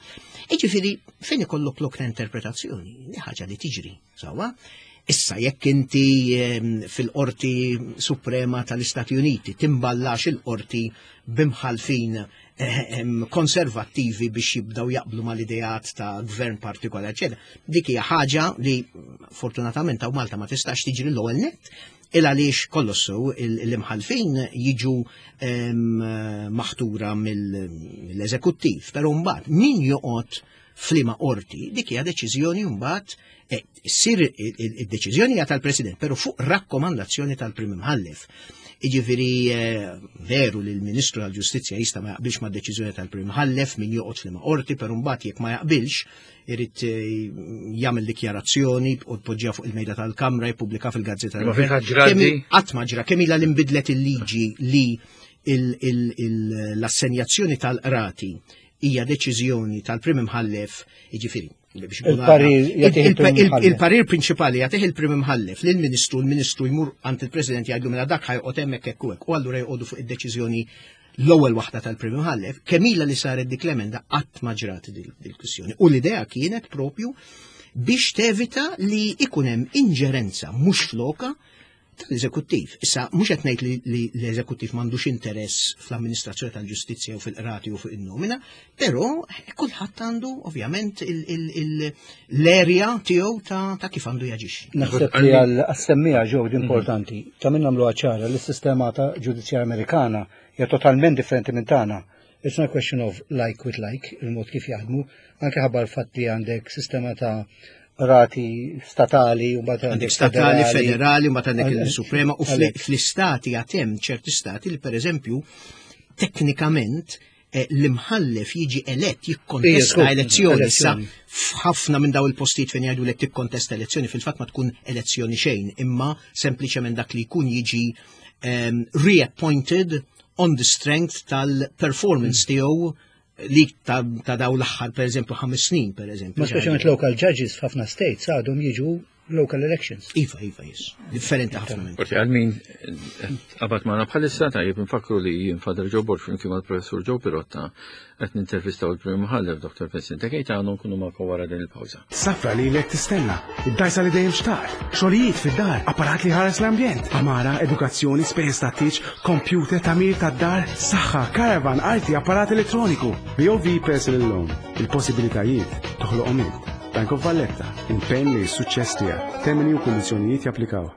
Jiġifieri fejn ikollok lok ta' interpretazzjoni, li ħaġa li tiġri, sewwa. Issa jekk inti fil-Qorti Suprema tal-Istati Uniti timballax il-qorti b'imħalfin konservattivi biex jibdaw jaqblu mal-ideat ta' gvern partikolari, eċetera. Dik hija ħaġa li fortunatament hawn Malta ma tistax tiġri l-ewwel nett, il għaliex kollox sew l-imħalfin jiġu maħtura mill-eżekuttiv, però mbagħad min joqgħod f'liema qorti, dik hija deċiżjoni mbagħad eh, ssir id-deċiżjoni hija tal-President, però fuq rakkomandazzjoni tal-Prim Imħallef. Jiġifieri eh, veru li l-Ministru tal-Ġustizzja jista' ma jaqbilx ma' deċiżjoni tal-Prim Imħallef min joqgħod f'liema qorti, però mbagħad jekk ma jaqbilx irid eh, jagħmel dikjarazzjoni u tpoġġiha fuq il-mejda tal-Kamra jippubblika fil-Gazzetta. Ma Qatt ma ġra kemm ilha li nbidlet il-liġi li l-assenjazzjoni tal-qrati hija deċiżjoni tal-Prim Imħallef, jiġifieri il-parir prinċipali jagħtih il-Prim Imħallef lill-Ministru, l-Ministru jmur għand il-President jgħidlu mela dak ħa joqgħod hemmhekk hekk u hekk, u allura joqogħdu fuq id-deċiżjoni l-ewwel waħda tal-Prim Imħallef, kemm ilha li saret dik l-emenda qatt ma ġrat dil-kwistjoni. U l-idea kienet propju biex tevita li ikun hemm inġerenza mhux floka tal-eżekuttiv. Issa, mhux qed ngħid li l-eżekuttiv m'għandux interess fl-amministrazzjoni tal-ġustizzja u fil-qrati u fuq in-nomina, però kulħadd għandu ovvjament l-erja tiegħu ta' kif għandu jaġixxi. Naħseb li għas-semmiegħa ġew importanti ta' min nagħmlu ċara li s-sistema ta' ġudizzjarja Amerikana hija totalment differenti minn tagħna. It's not a question of like with like, il-mod kif jaħdmu, anke ħabba l-fatt li għandek sistema ta' rati statali u mbagħad għandek statali, federali, u mbagħad għandek il-Suprema u fl-istati għad hemm ċerti stati li pereżempju teknikament eh, l-imħallef jiġi elett jikkontesta elezzjoni. Issa f'ħafna minn daw il-postijiet fejn jgħidu li tikkontesta elezzjoni, fil-fatt ma tkun elezzjoni xejn, imma sempliċement dak li jkun jiġi um, reappointed on the strength tal-performance mm. tiegħu li ta', ta daw l-aħħar, per eżempju, ħames snin, per eżempju. Ma speċjalment local judges f'ħafna states għadhom jiġu local elections. Iva, iva, yes. Differenti ħafna minn. Forsi għal min qabad magħna bħalissa, tajjeb nfakru li jien Father Joe Borg flimkien mal-Professur Joe Pirotta qed nintervistaw il-Prim Imħallef Doctor Vincent De Gaetano. Nkunu magħkom wara din il-pawża. Safra li lek tistenna, id-dajsa li dejjem xtaqt, xogħlijiet fid-dar, apparat li ħares l-ambjent, għamara, edukazzjoni, spejjeż tat-tieġ, computer, tagħmir tad-dar, saħħa, caravan, arti, apparat elettroniku. B O V Personal Loan, il-possibilitajiet toħloqhom int. Bank of Valletta, impenn li s-suċċess tiegħek. Termini u kundizzjonijiet japplikaw.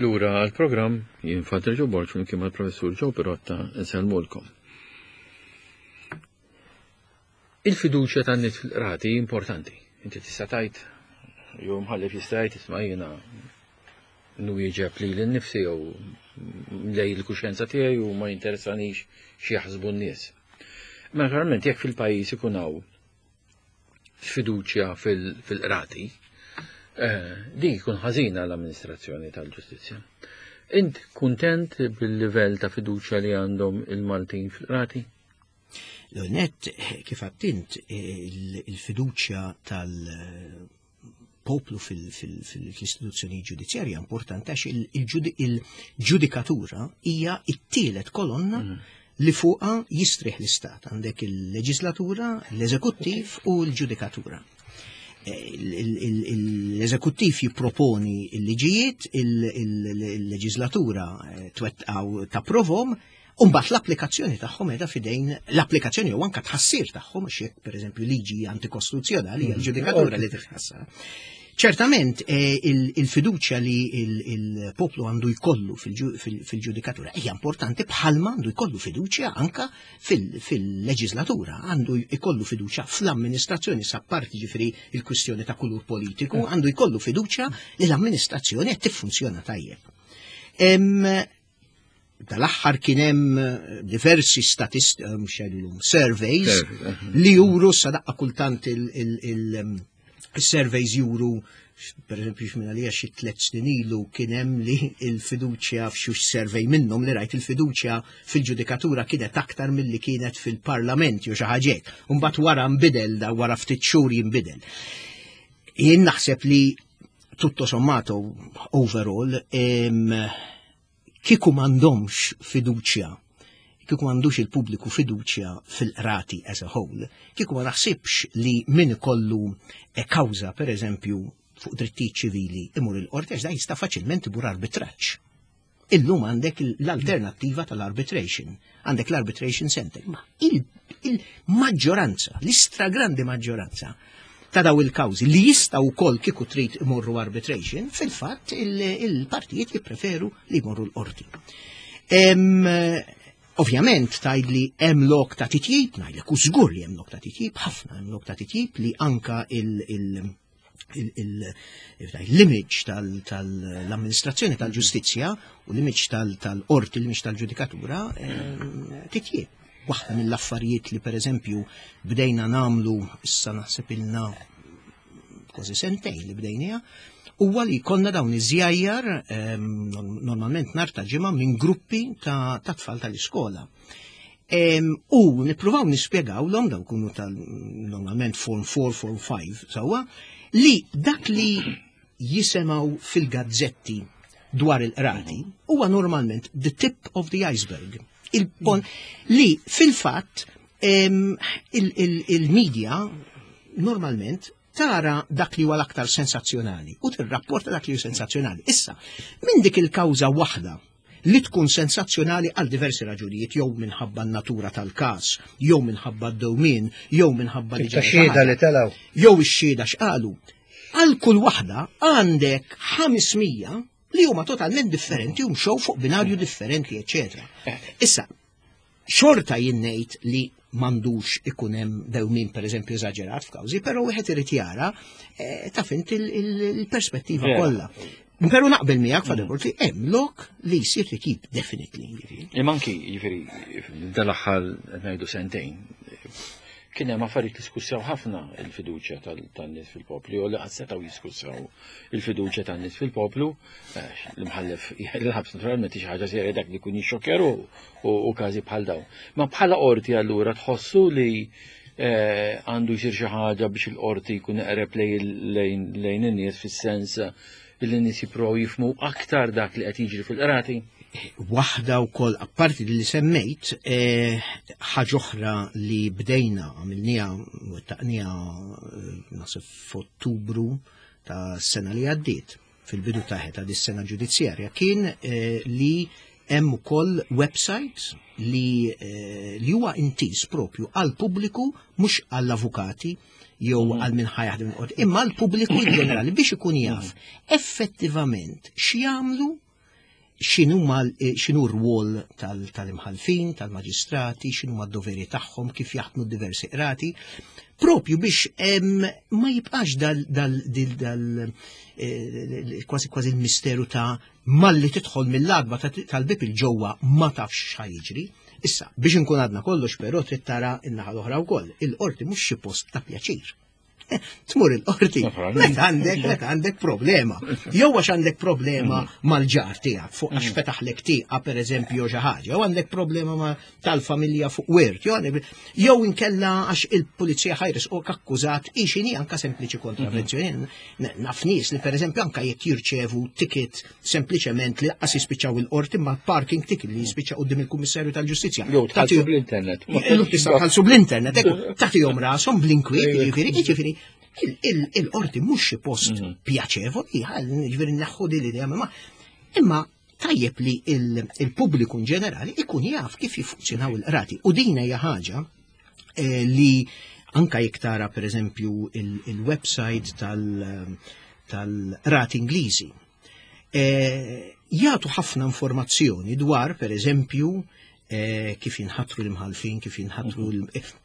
Lura għal-programm, jien Father Joe Borg flimkien mal-Professur Joe Pirotta nsellmulkom. Il-fiduċja tan-nies fil-qrati importanti. Inti tista' tgħid, jew mħallef jista' jgħid, "Isma', jiena nwieġeb li l-nifsi jew lej il-kuxjenza tiegħi u ma jinteressanix xi jaħsbu n-nies." Ma naturalment jekk fil-pajjiż ikun hawn sfiduċja fil-qrati, eh, di jkun ħażina l-amministrazzjoni tal-ġustizzja. Int kuntent bil-livell ta' fiduċja li għandhom il-Maltin fil-qrati? L-net, kif għedt int, il-fiduċja tal-poplu fil-istituzzjoni ġudizzjarja importanti għax il-ġudikatura hija it-tielet kolonna mm. li fuqa jistrieħ l-istat. Għandek il-leġislatura, l-eżekuttiv u l-ġudikatura. L-eżekuttiv jipproponi il-liġijiet, il-leġislatura eh, twettaq tapprovahom, u mbagħad l-applikazzjoni tagħhom qiegħda fidejn l-applikazzjoni u anke tħassir tagħhom, għax jekk, pereżempju, liġi antikostituzzjonali, hija l-ġudikatura li titħassar. Ċertament eh, il-fiduċja li il-poplu għandu jkollu fil-ġudikatura hija importanti bħalma għandu jkollu fiduċja anka fil-leġislatura, għandu jkollu fiduċja fl-amministrazzjoni, apparti ġifieri il-kwistjoni ta' kulur politiku, għandu jkollu fiduċja li l-amministrazzjoni qed tiffunzjona tajjeb. Dal-aħħar kien hemm diversi statist, eh, mhux jgħidulhom surveys, li juru sadaqqa kultant il-surveys juru, per eżempju, x'minn għalija xi tliet snin ilu kien hemm li il-fiduċja f'xi survey minnhom li rajt, il-fiduċja fil-ġudikatura kienet aktar milli kienet fil-parlament jew xi ħaġa. Imbagħad wara nbidel da, wara ftit xhur jinbidel. Jien naħseb li tutto sommato overall, kieku m'għandhomx fiduċja, kieku m'għandux il-pubbliku fiduċja fil-qrati as a whole, kieku ma naħsibx li min ikollu e kawża, per eżempju, fuq drittijiet ċivili imur il-qorti, għax da jista' faċilment imur arbitraġġ. Illum għandek l-alternattiva tal-arbitration, għandek l-arbitration center. Ma il-maġġoranza, l-istragrandi maġġoranza ta' daw il-kawżi li jistgħu wkoll kieku trid imorru arbitration, fil-fatt il-partijiet jippreferu li jmorru l-qorti. Ovvjament tgħid li hemm lok ta' titjib, ngħidlek u żgur li hemm lok ta' titjib, ħafna hemm lok ta' titjib li anka il- l-image tal-amministrazzjoni tal-ġustizzja u l-image tal-qorti, l-image tal-ġudikatura titjib. Waħda mill-affarijiet li, per eżempju, bdejna nagħmlu issa, naħseb ilna kważi sentejn li bdejnija, huwa li konna dawn iż-żjajjar normalment nhar ta' Ġimgħa minn gruppi ta' tfal tal-iskola. U nippruvaw nispjegawlhom, daw kunu tal normalment Form four, Form five, sewwa, li dak li jisimgħu fil-gazzetti dwar il-qrati huwa normalment the tip of the iceberg. Il-pon li fil-fatt il-media normalment tara dak li huwa l-aktar sensazzjonali u tirrapporta dak li huwa sensazzjonali. Issa, minn dik il-kawża waħda li tkun sensazzjonali għal diversi raġunijiet, jew minħabba n-natura tal-każ, jew minħabba d-dewmien, jew minħabba li xhieda li telgħu. Jew ix-xhieda x'qalu. Għal kull waħda għandek ħames mija li huma totalment differenti u mxew fuq binarju differenti, eċetera. Issa, xorta jien ngħid li m'għandux ikun hemm dewmin, per eżempju, eżaġerat f'kawżi, però wieħed irid jara eh, taf int il-perspettiva kollha. Pero naqbel miegħek, Father Borg, li hemm lok li jsir titjib definitely. Jiġifieri. Imma anki, jiġifieri, dal-aħħar ngħidu sentejn, kien hemm affarijiet li skussaw ħafna il-fiduċja tan-nies fil-poplu, u li qatt setgħu jiskussaw il-fiduċja tan-nies fil-poplu, l-imħallef il-ħabs naturalment xi ħaġa serja dak li jkun jixxokkjaru u każi bħal dawn. Ma bħala qorti allura tħossu li għandu jsir xi ħaġa biex il-qorti jkun eqreb lejn in-nies fis-sens li n-nies jippruvaw jifhmu aktar dak li qed jiġri fil-qrati? Waħda wkoll, apparti li semmejt, ħaġa oħra li bdejna għamilniha, wettaqniha naħseb f'Ottubru ta' sena li għaddiet, fil-bidu ta' ta' dis-sena ġudizzjarja, kien li hemm ukoll website li li huwa intiż propju għal pubbliku, mhux għall-avukati jew għal min ħa jaħdem il-qorti, imma għal pubbliku in ġenerali biex ikun jaf effettivament x'jagħmlu, x'inhu r-rwol tal-imħalfin, tal-maġistrati, x'inhu d-doveri tagħhom, kif jaħdmu diversi qrati, propju biex ma jibqax dal dal kważi kważi il-misteru ta' malli tidħol mill-għatba tal-bib il-ġewwa ma tafx x'ħa jiġri. Issa, biex nkun għadna kollox, però trid tara n-naħa l-oħra wkoll. Il-qorti mhux xi post ta' pjaċir. Tmur il-qorti, meta għandek, meta għandek problema. Jew għax għandek problema mal-ġar tiegħek fuq għax fetaħlek tieqa pereżempju xi ħaġa, jew għandek problema ma tal-familja fuq wirt, jew inkella għax il-pulizija ħa jressquk akkużat x'inhi anka sempliċi kontravenzjoni. Naf nies li pereżempju anka jekk jirċevu ticket sempliċement li lanqas jispiċċaw il-qorti ma parking ticket li jispiċċa quddiem il-Kummissarju tal-Ġustizzja. Jew tħallsu bl-internet. Tista' tħallsu bl-internet, tagħtihom rashom bl-inkwiet, jiġifieri, jiġifieri il-qorti mhux xi post pjaċevoli, jiġifieri naħħu din l-idea, ma imma tajjeb li il-pubbliku in ġenerali ikun jaf kif jiffunzjonaw il-qrati. U din hija ħaġa li anka jekk tara pereżempju il-website tal-qrati Ingliżi, jagħtu ħafna informazzjoni dwar pereżempju kif jinħatru l-imħalfin, kif jinħatru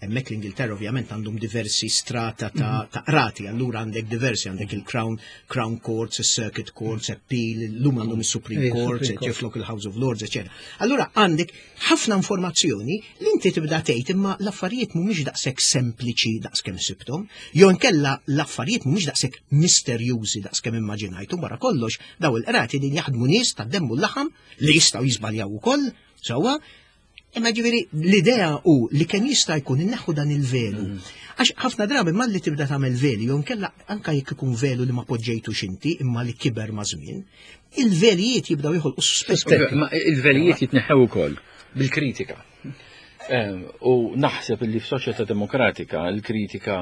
hemmhekk l-Ingilterra ovvjament għandhom diversi strata ta' qrati, allura għandek diversi, għandek il-Crown Crown Courts, il-Circuit Courts, Appeal, l-lum għandhom il-Supreme Courts, ġiflok il-House of Lords, eccetera. Allura għandek ħafna informazzjoni li inti tibda tgħid imma l-affarijiet mhumiex daqshekk sempliċi daqskemm sibthom, jew inkella l-affarijiet mhumiex daqshekk misterjużi daqskemm immaġinajtu. Wara kollox daw il-qrati din jaħdmu nies tad-demm u l-laħam li jistgħu jiżbaljaw ukoll, sewwa. Imma ġifieri l-idea hu li kemm jista' jkun inneħħu dan il-velu. Għax ħafna drabi malli tibda tagħmel velu, jew inkella anke jekk ikun velu li ma poġġejtux inti imma li kiber ma' żmien, il-velijiet jibdew joħolqu suspetti. Ma il-velijiet jitneħħew ukoll bil-kritika. U naħseb li f'soċjetà demokratika l-kritika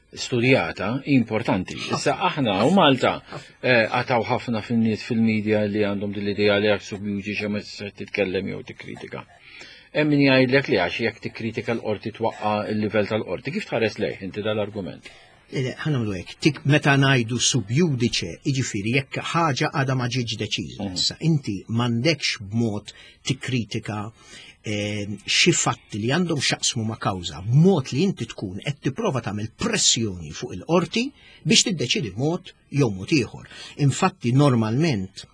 studjata importanti. Issa aħna u Malta għataw ħafna fin-nies fil-medja li għandhom din l-idea li jekk sub judice ma tistax titkellem jew tikkritika. Hemm min jgħidlek li għax jekk tikkritika l-qorti twaqqa' l-livell tal-qorti. Kif tħares lejh inti dal-argument? Ħa nagħmlu hekk, tik meta ngħidu sub judice, jiġifieri jekk ħaġa għadha ma ġietx deċiża. Issa inti m'għandekx b'mod tikkritika xi fatti li għandhom x'jaqsmu ma' kawża, b'mod li inti tkun qed tipprova tagħmel pressjoni fuq il-qorti biex tiddeċidi mod jew mod ieħor. Infatti normalment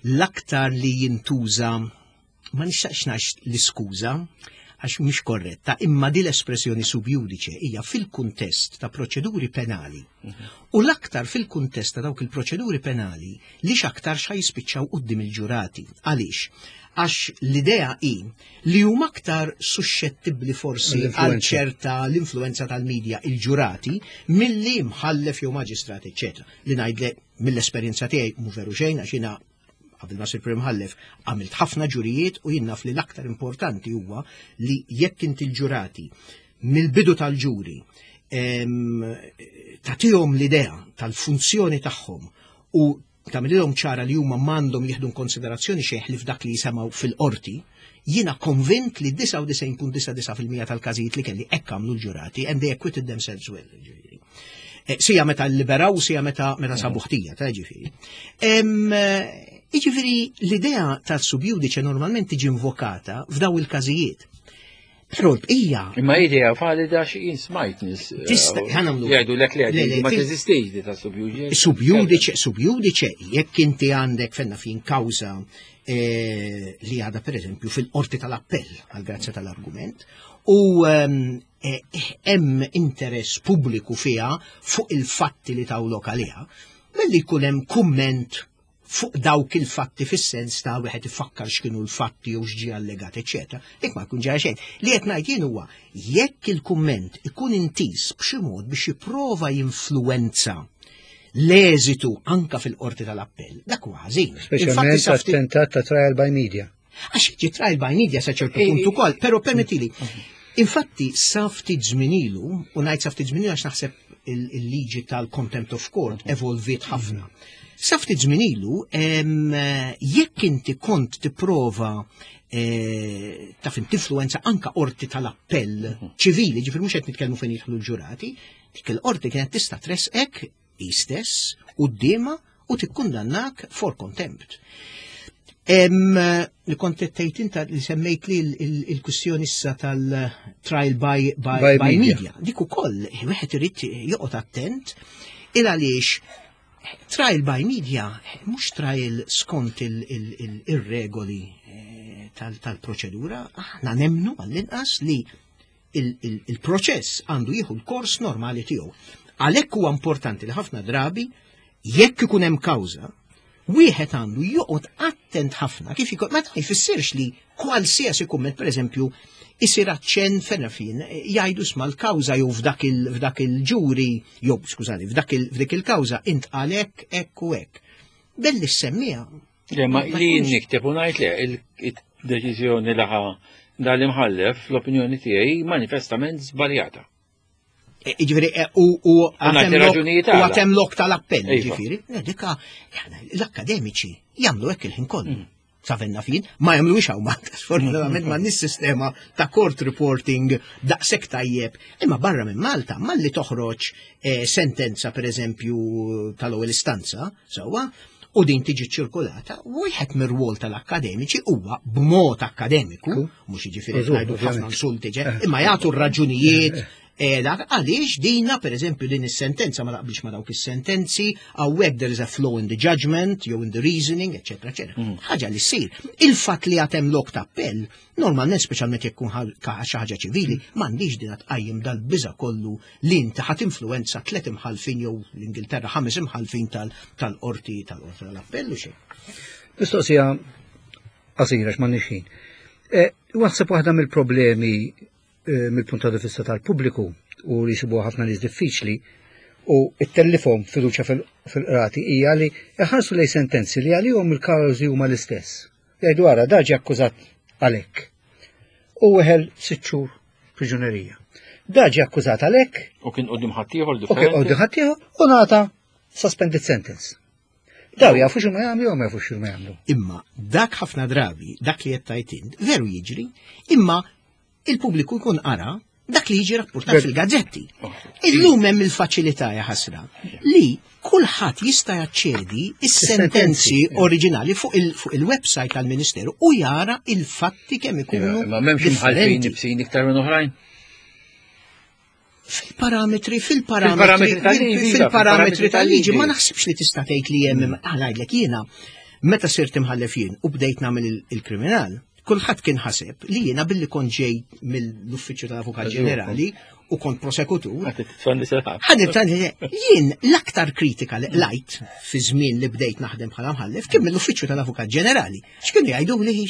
l-aktar li jintuża, ma nixtaqx ngħid l-iskuża għax mhix korretta, imma di l-espressjoni sub judice hija fil-kuntest ta' proċeduri penali. U l-aktar fil-kuntest ta' dawk il-proċeduri penali li x'aktar xa jispiċċaw quddiem il-ġurati. Għaliex? Għax l-idea hi li huma aktar suscettibbli forsi għal ċerta l-influenza tal-medja il-ġurati milli mħallef jew maġistrat, eċċetera. Li ngħidlek mill-esperjenza tiegħi mhu veru xejn għax jiena qabel ma sir Prim Mħallef għamilt ħafna ġurijiet u jien naf li l-aktar importanti huwa li jekk inti l-ġurati mill-bidu tal-ġuri tagħtihom l-idea tal-funzjoni tagħhom u tagħmilhom ċara li huma m'għandhom jieħdu konsiderazzjoni xejn li f'dak li jisemgħu fil-qorti, jiena konvint li disgħa u disgħin punt disgħa disgħa fil-mija tal-każijiet li kelli hekk għamlu l-ġurati and they acquitted themselves well. Ġifieri. Sija meta liberaw, sija meta meta sabu ħtija, ta' ġifieri. Jiġifieri l-idea tas-sub judice normalment tiġi invokata f'daw il-każijiet. Però l-bqija. Imma idea valida xi jien smajt nies. Eh, Tista' ħanamlu. Jgħidu lek li ma teżistix di ta' sub judice. Sub judice, sub judice, jekk inti għandek fenna fin kawża eh, li għadha pereżempju fil-qorti tal-appell għal grazzja tal-argument u ehm, eh, hemm interess pubbliku fiha fuq il-fatti li tawlok għaliha, milli jkun hemm kumment fuq dawk il-fatti fis-sens ta' wieħed ifakkar x'kienu l-fatti jew x'ġie allegat, eċetera. Dik ma jkun ġara xejn. Li qed ngħid jien huwa jekk il-kumment ikun intis b'xi mod biex jipprova jinfluwenza l-eżitu anka fil-qorti tal-appell, dak huwa ħażin. Speċjalment attentat ta' trial by media. Għax jiġi trial by media sa ċertu punt ukoll, però permettili. Infatti, sa ftit żmien ilu, u ngħid sa ftit żmien ilu għax naħseb il-liġi tal-contempt of court evolviet ħafna. Sa ftit żmien ilu, jekk inti kont tipprova eh, taf tinfluwenza anka qorti tal-appell ċivili, ġifieri mhux qed nitkellmu fejn jidħlu l-ġurati, dik il-qorti kienet tista' tresqek hi stess quddiemha u tikkundannak for contempt. Li kont tgħid inta li semmejt li il-kwistjoni issa tal-trial by, by, by, by media. media. Dik ukoll wieħed irid joqgħod attent il għaliex trial by media mhux trial skont il-regoli eh, tal-proċedura, aħna nemmnu għall-inqas li il-proċess għandu jieħu l-kors normali tiegħu. Għalhekk huwa importanti li ħafna drabi jekk ikun hemm kawża, wieħed għandu joqgħod attent ħafna kif ikun ma jfissirx li kwalsiasi kumment pereżempju isir aċċenn fejn fin jgħidu sma l-kawża jew f'dak il- il-ġuri jew skużani f'dak il- il-kawża intqal hekk hekk u hekk. Belli semmija. Le ma li nikteb u ngħid le il-deċiżjoni laħa dal-imħallef l-opinjoni tiegħi manifestament żbaljata. E, ġifieri, e, u għatem lok tal-appell, iva. ġifieri, dika, l-akademiċi jagħmlu hekk il-ħin kollu. Mm. Savenna fin, ma jagħmlu hawn Malta, sfortunatament ma sistema ta' court reporting daqshekk tajjeb. Imma barra minn Malta, malli toħroġ eh, sentenza per eżempju tal-ewwel istanza, sewwa, u din tiġi ċirkolata, wieħed mir-rwol tal-akkademiċi huwa b'mod akkademiku, mhux jiġifieri ngħidu ħafna insulti, eh. imma jagħtu r-raġunijiet eh, għaliex dina, per eżempju, din is-sentenza ma taqbilx ma dawk is-sentenzi, hawnhekk there is a flaw in the judgment, jew in the reasoning, eċetera, eċetera. Mm. Ħaġa li ssir. Il-fatt li għatem lok ta' appell, normalment speċjalment jekk kun xi ħaġa ċivili, m'għandix din tqajjem dal-biża kollu li inti ħadd influenza tliet imħalfin jew l-Ingilterra ħames imħalfin tal-qorti tal-qorti tal-appell u xejn. Mistoqsija qasira x'ma ħin. Eh, waħseb waħda mill-problemi eh, mill-punt ta' vista tal-pubbliku u li jsibuha ħafna nies diffiċli u it-tellifhom fiduċja fil-qrati hija li jħarsu lej sentenzi li għalihom il-kawżi huma l-istess. Jgħidu ara da ġie akkużat għalhekk. U weħel sitt xhur priġunerija. Da ġie akkużat għalhekk. U kien quddiem ħaddieħor U kien quddiem ħaddieħor u ngħata suspended sentence. Daw jafu x'ma jagħmlu jew ma jafux x'ma jagħmlu. Imma dak ħafna drabi, dak li qed tgħid int, veru jiġri, imma il-pubbliku jkun qara dak li jiġi rapportat fil-gazzetti. Illum hemm il-faċilità ja ħasra li kulħadd jista' jaċċedi is-sentenzi oriġinali fuq il-website tal-Ministeru u jara il-fatti kemm ikunu. Ma m'hemmx imħalfin ibsin iktar minn oħrajn. Fil-parametri, fil-parametri, fil-parametri tal-liġi, ma naħsibx li tista' tgħid li hemm ngħidlek jiena meta sirt imħallef jien u bdejt nagħmel il-kriminal, kulħadd kien ħaseb li jiena billi kont ġej mill-Uffiċċju tal-Avukat Ġenerali u kont prosekutur. Jien l-aktar kritika li lajt fi żmien li bdejt naħdem bħala mħallef kien mill-Uffiċċju tal-Avukat Ġenerali. X'kienu jgħidu li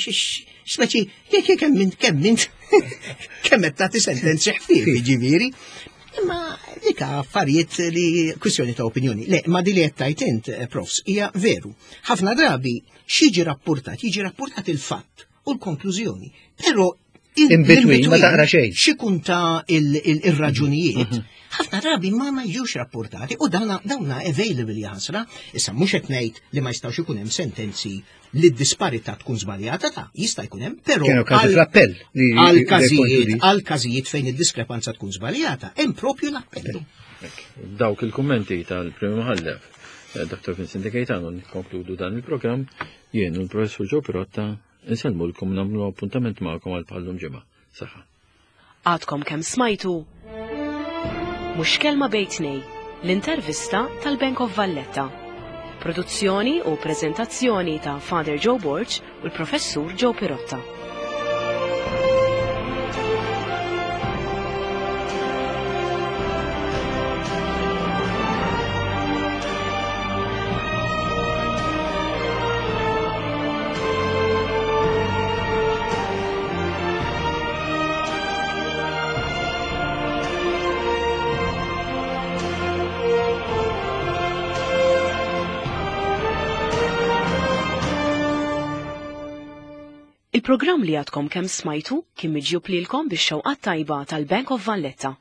speċi jekk kemm minn kemm minn kemm qed tagħti sentenzi ħfief jiġifieri. Imma dik affarijiet li kwistjoni ta' opinjoni. Le, ma di li qed tgħid int, eh, profs, hija veru. Ħafna drabi x'jiġi rapportat, jiġi rapportat il-fatt u l-konklużjoni. Però in between ma taqra xejn. X'ikun ta' il-raġunijiet, mhm. ħafna drabi ma ma jiġux rapportati u dawna dawna available jaħasra. Issa mhux qed ngħid li ma jistgħux ikun hemm sentenzi li d-disparità tkun żbaljata ta' jista' jkun hemm, però Kienu każi fl-appell. Għal każijiet għal każijiet fejn id-diskrepanza tkun żbaljata, hemm propju l-appellu. Dawk il-kummenti tal-Prim Imħallef, eh, Dottor Vincent De Gaetano, nikkonkludu dan il-programm jien u l-Professur Joe Pirotta nsellmulkom nagħmlu appuntament magħkom għal bħallum ġimgħa. Saħħa. Għadkom kemm smajtu Mhux Kelma Bejn Tnejn, l-intervista tal-Bank of Valletta. Produzzjoni u prezentazzjoni ta' Father Joe Borg u l-Professur Joe Pirotta. Il-programm li għadkom kemm smajtu kien miġjub lilkom bix-xewqat tajba tal-Bank of Valletta.